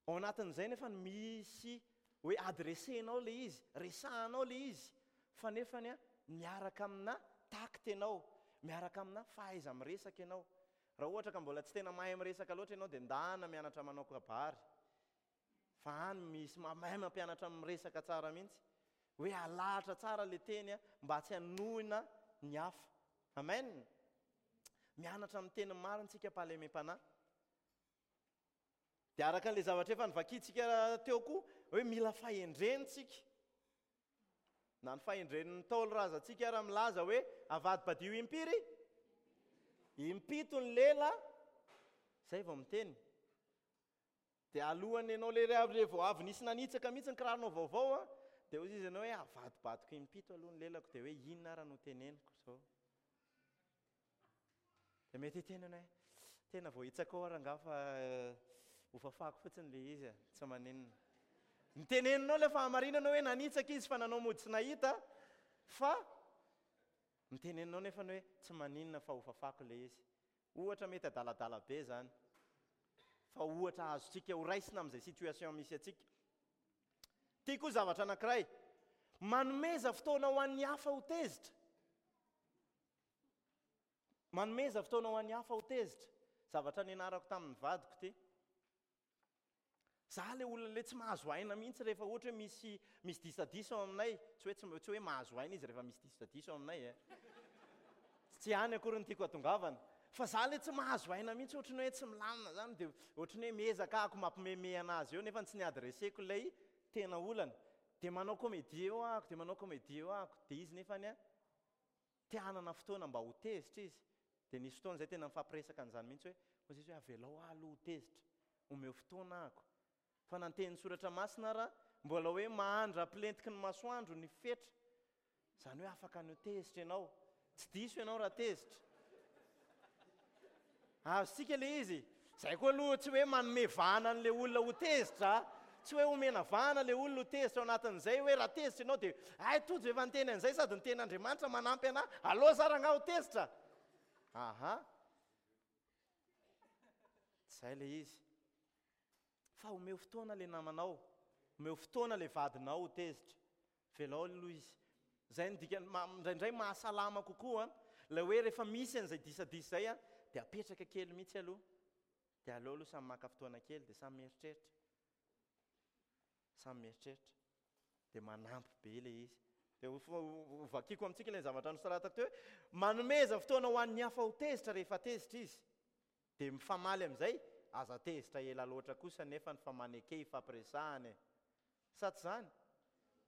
Ao anatin'izay nefa misy hoe adressenao ilay izy, resahanao ilay izy, fa nefany a miaraka amina tact ianao, miaraka amina fahaiza-miresaka ianao. Raha ohatra ka mbola tsy tena mahay miresaka loatra ianao dia ndana mianatra manao kabary. Fa any misy mahay mampianatra miresaka tsara mihitsy. Hoe alahatra tsara ilay teny a, mba tsy hanohina ny hafa. Amen. Mianatra amin'ny teny marina isika am-pahalemem-panahy. Dia araka an'ilay zavatra efa novakintsika teo koa, hoe mila fahendrena isika. Na ny fahendren'ny Ntaolo razantsika raha milaza hoe avadibadio impiry, impito ny lela, izay vao miteny. Dia alohan'ny ianao le re vao avy nisy nanitsaka mihitsy ny kiraronao vaovao a, Dia hoy izy ianao hoe avadibadiko impito aloha ny lelako, dia hoe inona ara no teneniko zao. Dia mety hiteny ianao hoe tena voahitsaka ao rangahy fa hofafako fotsiny ilay izy, tsy maninona. Niteneninao ilay fahamarinana hoe nanitsaka izy fa nanao mody tsy nahita, fa niteneninao nefa ny hoe tsy maninona fa hofafako ilay izy. Ohatra mety adaladala be zany, fa ohatra azontsika ho raisina amin'izay situation misy antsika. Ty koa zavatra anankiray, manomeza fotoana ho an'ny hafa ho tezitra. Manomeza fotoana ho an'ny hafa ho tezitra. Zavatra nianarako tamin'ny vadiko ty. Za le olona le tsy mahazo aina mihitsy rehefa ohatra hoe misy, misy disadisa ao aminay. Tsy hoe tsy, tsy hoe mahazo aina izy rehefa misy disadisa ao aminay e. Tsy any akory ny tiako hatongavana. Fa za le tsy mahazo aina mihitsy, ohatry ny hoe tsy milamina zany, dia ohatry ny hoe miezaka ako mampimeme anazy eo, nefa tsy niadreseko ilay tena olana. Dia manao comédie eo ahako, dia manao comédie eo ahako. Dia izy nefany a, te hanana fotoana mba ho tezitra izy. Dia nisy fotoana izay tena nifampiresaka an'izany mihitsy hoe, hoy izy hoe avelao aho aloha ho tezitra, omeo fotoana ahako. Fa na ny tenin'ny soratra masina ara, mbola hoe mahandra-pilentiky ny masoandro ny fetra. Izany hoe afaka ny ho tezitra ianao. Tsy diso ianao raha tezitra. Azontsika ilay izy. Izay koa aloha tsy hoe manome vahana an'ilay olona ho tezitra. Tsy hoe omena vahana ilay olona ho tezitra ao anatin'izay hoe raha tezitra ianao dia ay Tojo efa niteny an'izay sady ny tenin'Andriamanitra manampy anahy, aleo za rangahy ho tezitra. Aha. Tsy izay ilay izy. Fa omeo fotoana ilay namanao, omeo fotoana ilay vadinao ho tezitra. Velao aloha izy. Izay no dikany, ma-, indraindray mahasalama kokoa ilay hoe rehefa misy an'izay disadisa izay dia apetraka kely mihitsy aloha. Dia aleo aloha samy maka fotoana kely dia samy mieritreritra. Samy mieritreritra. Dia manampy be ilay izy. Dia ho fo-, ho vakiko amintsika ilay zavatra nosoratako teo hoe manomeza fotoana ho an'ny hafa ho tezitra rehefa tezitra izy. Dia mifamaly amin'izay, aza tezitra ela loatra kosa nefa ny famaneke ifampiresahana e. Sa tsy izany?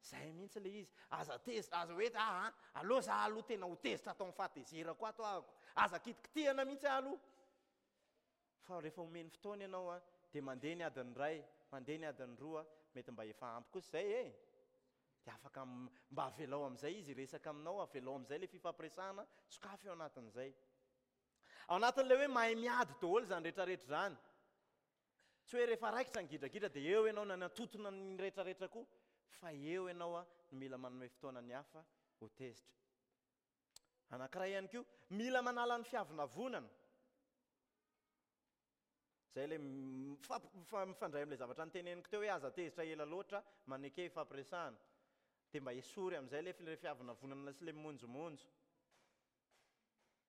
Izay mihitsy ilay izy. Aza tezitra, aza hoe ah, aleo za aloha tena ho tezitra atao amin'ny fahatezerako ato ahako. Aza kitikitihana mihitsy aho aloha. Fa rehefa omeny fotoana ianao a, dia mandeha ny adiny iray, mandeha ny adiny roa, mety mba efa ampy kosa izay e. Dia afaka mba avelao amin'izay izy hiresaka aminao, avelao amin'izay ilay fifampiresahana, sokafy ao anatin'izay. Ao anatin'ilay hoe mahay miady daholo izany rehetrarehetra izany. Tsy hoe rehefa raikitra ny gidragidra dia eo ianao nanatotona ny rehetrarehetra koa, fa eo ianao a no mila manome fotoana ny hafa ho tezitra. Anankiray ihany koa, mila manala ny fiavonavonana. Izay ilay mifandray amin'ilay zavatra niteneniko teo hoe aza tezitra ela loatra, maneke ifampiresahana. Dia mba esory amin'izay ilay fiavonavonana sy ilay mimonjomonjo.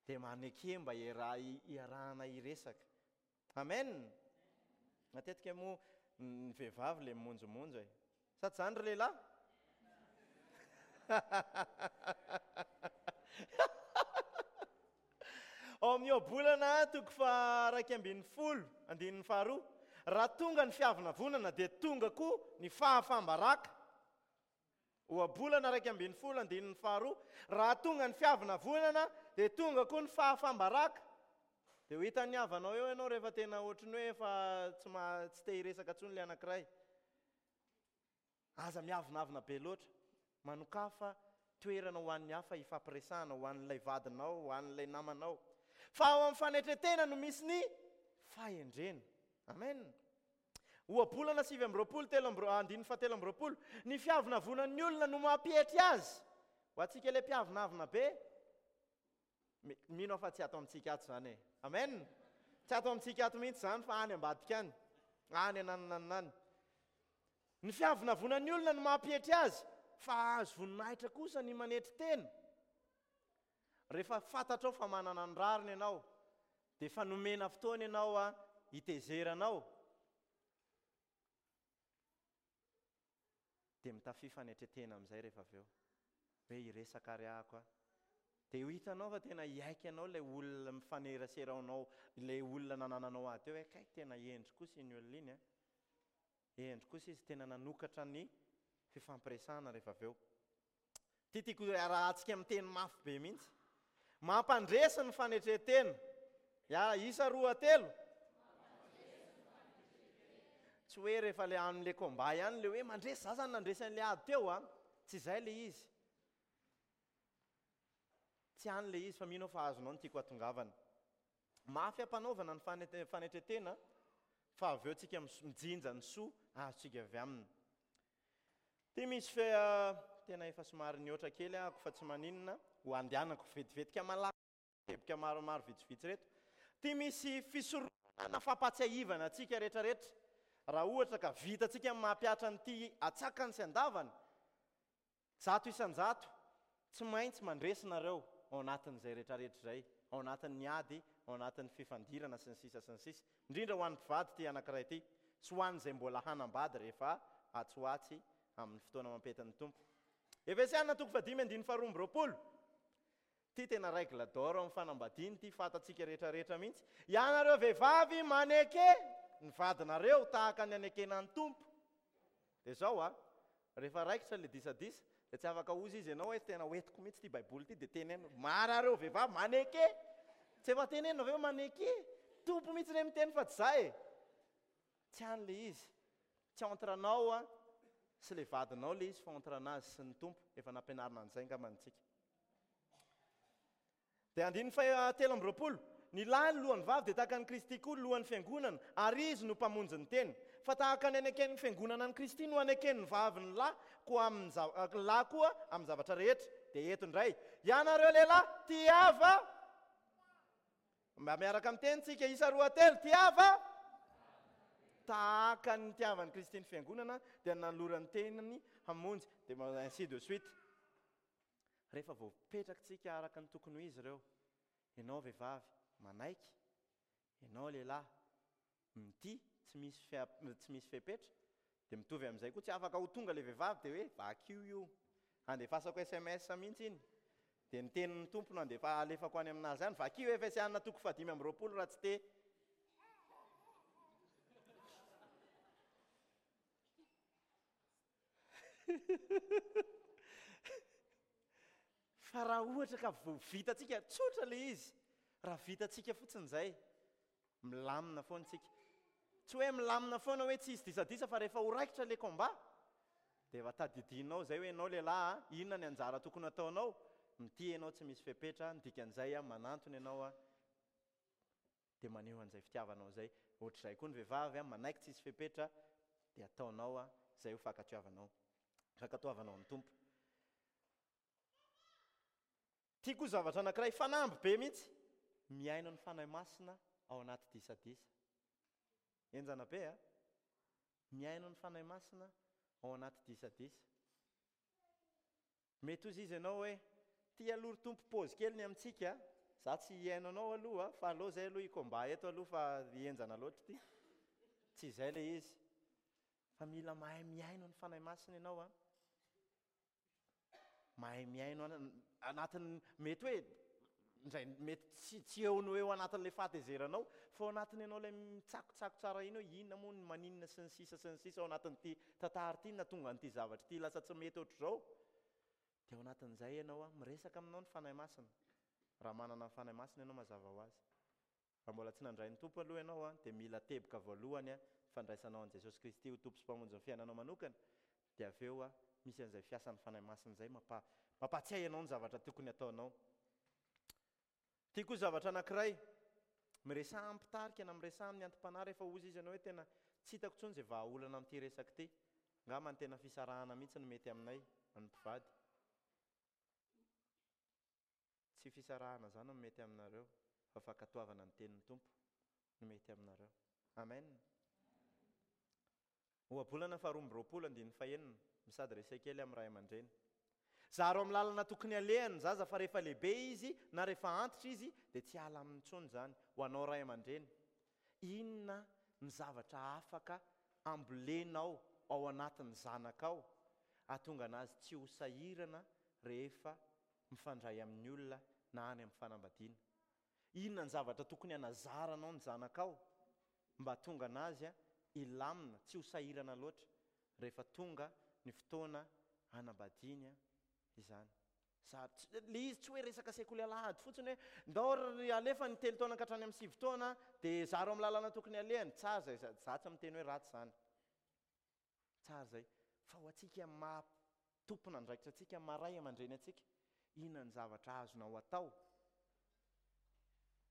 Dia maneke mba iarahana hiresaka. Amen. Matetika moa ny vehivavy ilay mimonjomonjo e. Sa tsy izany ry lehilahy? Ao amin'ny Ohabolana toko faha-iraika ambin'ny folo, andininy faharoa, raha tonga ny fiavonavonana dia tonga koa ny fahafaham-baraka. Ohabolana iraika ambin'ny folo, andininy faharoa, raha tonga ny fiavonavonana dia tonga koa ny fahafaham-baraka. Dia ho hitan'ny havanao eo ianao rehefa tena ohatry ny hoe efa tsy ma-, tsy te hiresaka intsony ilay anankiray. Aza miavonavona be loatra. Manokafa toerana ho an'ny hafa hifampiresahana, ho an'ilay vadinao, ho an'ilay namanao. Fa ao amin'ny fanetren-tena no misy ny fahendrena. Amen. Ohabolana sivy amby roapolo, telo amby ro-, andininy fahatelo amby roapolo. Ny fiavonavonan'ny olona no mampietry azy. Ho antsika ilay mpiavonavona be, mi-, mino aho fa tsy ato amintsika ato izany e. Amen. Tsy ato amintsika ato mihitsy izany fa any ambadika any. Any anananana any. Ny fiavonavonan'ny olona no mampietry azy, fa hahazo voninahitra kosa ny manetry tena. Rehefa fantatrao fa manana ny rariny ianao, dia efa nomena fotoana ianao a, hitezeranao. Dia mitafia fanetren-tena amin'izay rehefa avy eo. Hoe hiresaka ary ahako a. Dia ho hitanao fa tena hiaiky anao ilay olona mifanerasera aminao, ilay olona nanananao ady teo hoe kay tena hendry kosa iny olona iny a. Hendry kosa izy tena nanokatra ny fifampiresahana rehefa avy eo. Ty tiako arahantsika miteny mafy be mihitsy. Mampandresy ny fanetren-tena. Ya, isa roa telo. Tsy hoe rehefa le amin'le combat ihany le hoe mandresy, za zany nandresy an'le ady teo a. Tsy izay ilay izy. Tsy any ilay izy fa mino aho fa azonao ny tiako hatongavana. Mafy ampanaovana ny fanetren-tena fa avy eo tsika mijinja ny soa azontsika avy aminy. Ty misy fe tena efa somary nihoatra kely ahako fa tsy maninona ho andehanako vetivetika malaky teboka maromaro vitsivitsy reto. Ty misy fisorohana fampatsiahivana antsika rehetrarehetra. Raha ohatra ka vitantsika ny mampihatra an'ity atsakany sy andavany, zato isan-jato tsy maintsy mandresy nareo ao anatin'izay rehetrarehetra izay, ao anatin'ny ady, ao anatin'ny fifandirana sy ny sisa sy ny sisa. Indrindra ho an'ny mpivady ity anankiray ity sy ho an'izay mbola hanambady rehefa atsy ho atsy amin'ny fotoana mampetin'ny Tompo. Efesiana toko fahadimy andininy faharoa amby roapolo. Ty tena règle d'or amin'ny fanambadiana ity fantatsika rehetrarehetra mihitsy. Ianareo vehivavy maneke ny vadinareo tahaka ny anekena ny Tompo. Dia zao a, rehefa raikitra le disadisa, dia tsy afaka hozy izy ianao hoe tena hoentiko mihitsy ity Baiboly ity, dia teneno marareo vehivavy maneke. Tsy efa tenenina ve hoe maneke? Tompo mihitsy ne miteny fa tsy za e. Tsy any le izy. Tsy entre anao a sy le vadinao le izy fa entre anazy sy ny Tompo. Efa nampianarina an'izay angamba antsika. Dia andininy faha telo amby roapolo. Ny lahy ny lohan'ny vavy dia tahaka an'i Kristy koa lohan'ny fiangonana, ary izy no mpamonjy ny tena. Fa tahaka ny aneken'ny fiangonana an'i Kristy no aneken'ny vavy ny lahy koa amin'ny za- ny lahy koa amin'ny zavatra rehetra. Dia eto indray, ianareo lehilahy tiava, mba miaraka miteny tsika isa roa telo, tiava tahaka ny nitiavan'i Kristy ny fiangonana dia nanolorany tenany hamonjy, dia ainsi de suite. Rehefa voapetrakintsika araka ny tokony ho izy ireo, ianao vehivavy manaiky, ianao lehilahy mitia, tsy misy fea-, tsy misy fepetra, dia mitovy amin'izay koa tsy afaka ho tonga ilay vehivavy dia hoe vakio io, andefasako S M S mihitsy iny, dia ny tenin'ny Tompo no andefa alefako any aminazy any, vakio Efesiana toko fahadimy amby roapolo raha tsy te. Fa raha ohatra ka vao vitantsika, tsotra ilay izy, raha vitantsika fotsiny izay, milamina foana tsika. Tsy hoe milamina foana hoe tsy hisy disadisa fa rehefa ho raikitra ilay combat, dia efa tadidinao izay hoe ianao lehilahy, inona ny anjara tokony hataonao? Mitia ianao tsy misy fepetra, ny dikan'izay manantona ianao dia maneho an'izay fitiavanao izay. Ohatr'izay koa ny vehivavy, manaiky tsy hisy fepetra, dia ataonao izay ho fankatoavanao, fankatoavanao ny Tompo. Tiako zavatra anankiray fanamby be mihitsy, mihaino ny Fanahy Masina ao anaty disadisa. Enjana be a? Mihaino ny Fanahy Masina ao anaty disadisa. Mety hozy izy ianao hoe ty aloha ry Tompo pause kely ny amintsika, za tsy hihaino anao aloha fa aleo zay aloha hikomba eto aloha fa henjana loatra ity. Tsy izay le izy. Fa mila mahay mihaino ny Fanahy Masina ianao a. Mahay mihaino anatin'ny mety hoe indray mety tsy, tsy eo no eo anatin'ilay fahatezeranao fa ao anatiny ianao ilay mitsakotsako tsara iny hoe inona moa ny maninona sy ny sisa sy ny sisa ao anatin'ity tantara ity na tonga an'ity zavatra ity lasa tsy mety ohatr'izao. Dia ao anatin'izay ianao a miresaka aminao ny Fanahy Masina. Raha manana ny Fanahy Masina ianao mazava ho azy. Raha mbola tsy nandray ny Tompo aloha ianao a dia mila teboka voalohany a fandraisanao an'i Jesosy Kristy ho Tompo sy Mpamonjy ny fiainanao manokana. Dia avy eo a misy an'izay fiasan'ny Fanahy Masina izay mampa-, mampatsiahy anao ny zavatra tokony hataonao. Tiako koa zavatra anankiray, miresaha amin'ny mpitarika na miresaha amin'ny anti-panahy rehefa hozy izy ianao hoe tena tsy hitako intsony izay vahaolana amin'ity resaka ity. Angamba ny tena fisarahana mihitsy no mety aminay, ny mpivady. Tsy fisarahana izany no mety aminareo, fa fankatoavana ny tenin'ny Tompo no mety aminareo. Amen. Ohabolana faharoa amby roapolo andininy fahenina, misady resaka kely amin'ny ray aman-dreny. Zaro amin'ny lalana tokony alehany ny zaza fa rehefa lehibe izy na rehefa antitra izy dia tsy hiala aminy intsony izany. Ho anao ray aman-dreny, inona ny zavatra afaka ambolenao ao anatin'ny zanakao hahatonga anazy tsy ho sahirana rehefa mifandray amin'ny olona na any amin'ny fanambadiana? Inona ny zavatra tokony hanazaranao ny zanakao mba hahatonga anazy hilamina, tsy ho sahirana loatra rehefa tonga ny fotoana hanambadiany izany? Za, tsy, le izy tsy hoe resaka sekoly alahady fotsiny hoe ndao ry alefa ny telo taona ka hatrany amin'ny sivy taona dia zaro amin'ny lalana tokony alehany. Tsara izay, za, za tsy miteny hoe ratsy izany. Tsara izay. Fa ho antsika maha Tompon'andraikitra antsika, maray aman-dreny antsika. Inona ny zavatra azonao atao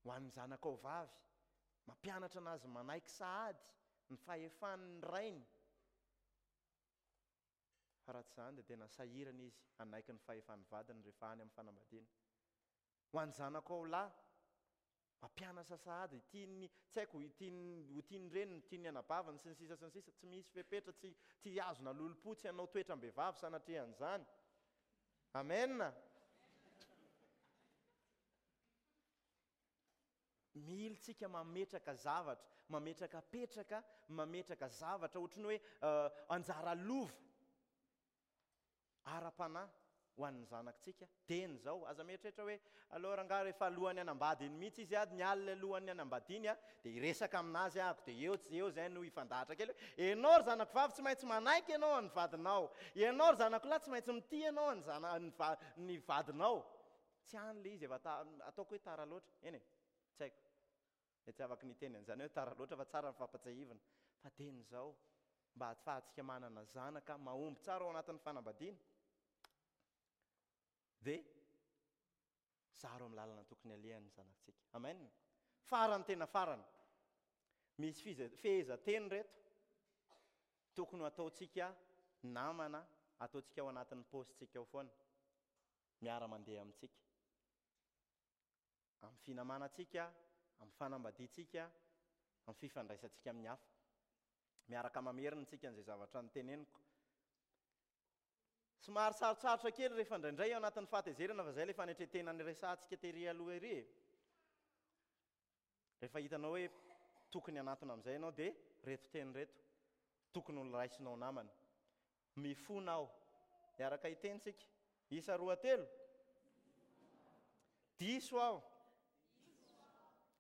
ho an'ny zanakao vavy? Mampianatra anazy manaiky sahady ny fahefan'ny rainy. Fa raha tsy izany dia tena sahirana izy hanaiky ny fahefan'ny vadiny rehefa any amin'ny fanambadiana. Ho an'ny zanakao lahy, mampianatra sahady, tiany, tsy haiko, tiany, ho tian'ny reniny, tian'ny anabaviny sy ny sisa sy ny sisa, tsy misy fepetra, tsy, tsy azona lolompo, tsy hanao toetram-behivavy sanatria an'izany. Amen. Mila tsika mametraka zavatra, mametraka petraka, mametraka zavatra ohatry ny hoe anjara lova ara-panahy ho an'ny zanakitsika teny izao. Aza mieritreritra hoe aleo rangahy rehefa alohan'ny hanambady iny mihitsy izy ady, ny alina alohan'ny hanambadiany a, dia hiresaka aminazy ahako, dia eo tsy eo izay no hifandahatra kely hoe ianao ry zanako vavy tsy maintsy manaiky ianao ny vadinao, ianao ry zanako lahy tsy maintsy mitia ianao ny zana-, ny va-, ny vadinao. Tsy any ilay izy efa ta-, ataoko hoe tara loatra, eny e, tsy haiko. Dia tsy afaka niteny an'izany hoe tara loatra fa tsara ny fampatsiahivana. Fa teny izao, mba ahafahantsika manana zanaka mahomby tsara ao anatin'ny fanambadiana, dia zaro amin'ny lalana tokony alehan'ny zanakitsika. Amen. Farany tena farany. Misy fize-, fehezanteny reto tokony ho ataontsika namana, ataontsika ao anatin'ny paosintsika ao foana, miara-mandeha amintsika. Amin'ny finamanantsika, amin'ny fanambadiantsika, amin'ny fifandraisantsika amin'ny hafa. Miaraka mamerina antsika an'izay zavatra noteneniko. Somary sarotsarotra kely rehefa indraindray ao anatin'ny fahatezerana, fa izay ilay fanetren-tena niresahantsika tery aloha ery e. Rehefa hitanao hoe tokony hanatona amin'izay ianao dia reto teny reto tokony ho raisinao namana. Mifona aho. Miaraka hiteny tsika. Isa roa telo. Diso aho.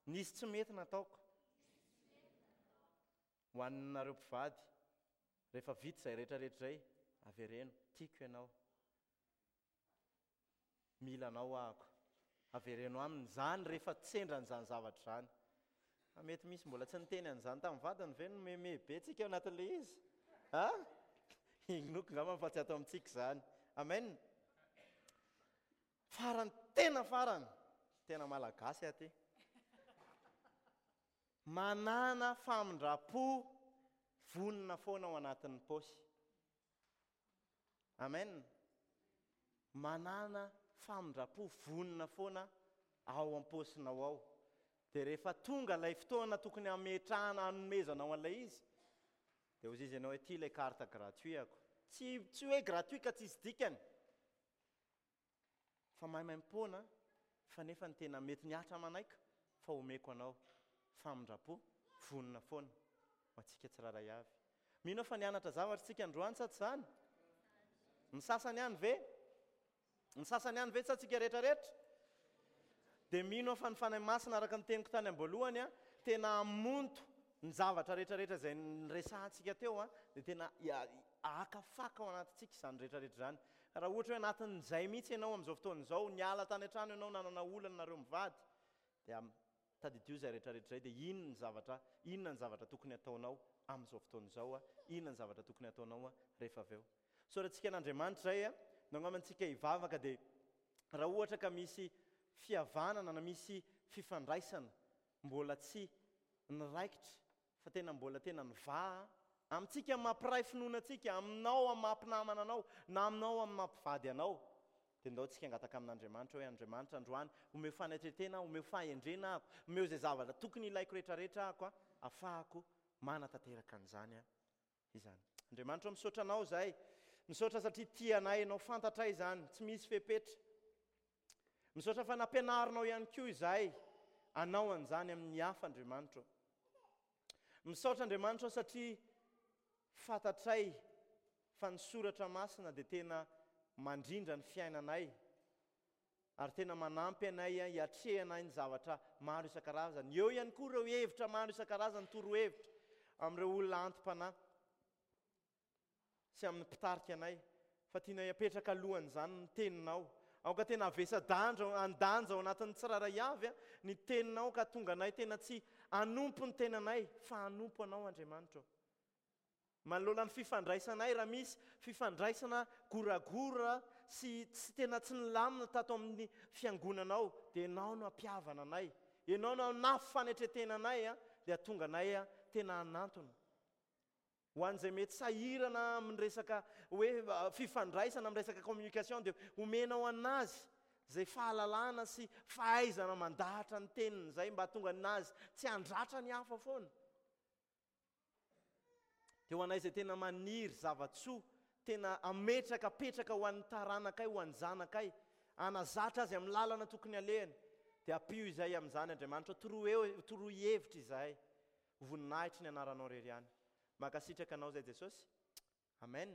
Nisy tsy mety nataoko. Ho anareo mpivady, rehefa vita izay rehetrarehetra izay, avereno, tiako ianao. Mila anao ahako. Avereno aminy izany rehefa sendran'izany zavatra izany. Fa mety misy mbola tsy niteny an'izany tamin'ny vadiny ve no meme be tsika ao anatin'ilay izy? Ha? Inoako angamba fa tsy ato amintsika izany. Amen. Farany, tena farany, tena malagasy aty. Manana famindram-po vonona foana ao anatin'ny paosy. Amen. Manana famindram-po vonona foana ao am-paosinao ao. Dia rehefa tonga ilay fotoana tokony hametrahana hanomezanao an'ilay izy, dia hoy izy ianao hoe ity ilay carte gratuit ako. Tsy, tsy hoe gratuit ka tsisy dikany. Fa maimaimpoana, fa nefa ny tena mety mihatra manaiko fa omeko anao famindram-po vonona foana ho antsika tsirairay avy. Mino aho fa nianatra zavatra isika androany sa tsy izany? Ny sasany ihany ve? Ny sasany ihany ve sa tsika rehetrarehetra? Dia mino aho fa ny Fanahy Masina araka ny teniko tany am-boalohany a, tena hamonto ny zavatra rehetrarehetra izay niresahantsika teo a, dia tena hakafaka ao anatintsika izany rehetrarehetra izany. Raha ohatra hoe anatin'izay mihitsy ianao amin'izao fotoana izao, niala tany an-trano ianao, nanana olana nareo mivady, dia tadidio izay rehetrarehetra izay, dia inona ny zavatra, inona ny zavatra tokony hataonao amin'izao fotoana izao a, inona ny zavatra tokony hataonao a rehefa avy eo. Isaorantsika an'Andriamanitra izay a, nangamba antsika hivavaka, dia raha ohatra ka misy fihavanana na misy fifandraisana mbola tsy niraikitra fa tena mbola tena nivaha amintsika mampiray finoana antsika, aminao amin'ny mampinamana anao na aminao amin'ny mampivady anao, dia ndao tsika hangataka amin'Andriamanitra hoe Andriamanitra androany omeo fanetren-tena, omeo fahendrena ahako, omeo izay zavatra tokony ilaiko rehetrarehetra ahako a, ahafahako manatanteraka an'izany a izany. Andriamanitra, misaotra anao izay, misaotra satria tia anay ianao, fantatray izany, tsy misy fepetra. Misaotra fa nampianarinao ihany koa izay anao an'izany amin'ny hafa, Andriamanitra. Misaotra Andriamanitra satria fantatray fa ny soratra masina dia tena mandrindra ny fiainanay ary tena manampy anay hiatrehana ny zavatra maro isan-karazany. Eo ihany koa ireo hevitra maro isan-karazany, torohevitra amin'ireo olona anti-panahy sy amin'ny mpitarika anay, fa tianay hapetraka alohan'izany ny teninao. Aoka tena havesa-dandra, andanja ao anatin'ny tsirairay avy a, ny teninao, ka tonga anay tena tsy hanompo ny tenanay fa hanompo anao, Andriamanitra. Manoloana ny fifandraisanay, raha misy fifandraisana goragora sy tsy tena tsy nilamina tato amin'ny fiangonanao, dia Ianao no hampihavana anay. Ianao no hanafy fanetren-tena anay, dia hahatonga anay tena hanantona. Ho an'izay mety sahirana amin'ny resaka hoe fifandraisana, amin'ny resaka communication, dia omenao an'azy izay fahalalana sy fahaizana mandahatra ny teniny izay mba hahatonga an'azy tsy handratra ny hafa foana. Dia ho anay izay tena maniry zava-tsoa, tena hametraka petraka ho an'ny taranakay, ho an'ny zanakay, hanazatra azy amin'ny lalana tokony alehany, dia ampio izay amin'izany Andriamanitra, toroy, toroy hevitra izahay, ho voninahitry ny anaranao irery ihany. Mankasitraka anao izay Jesosy. Amen.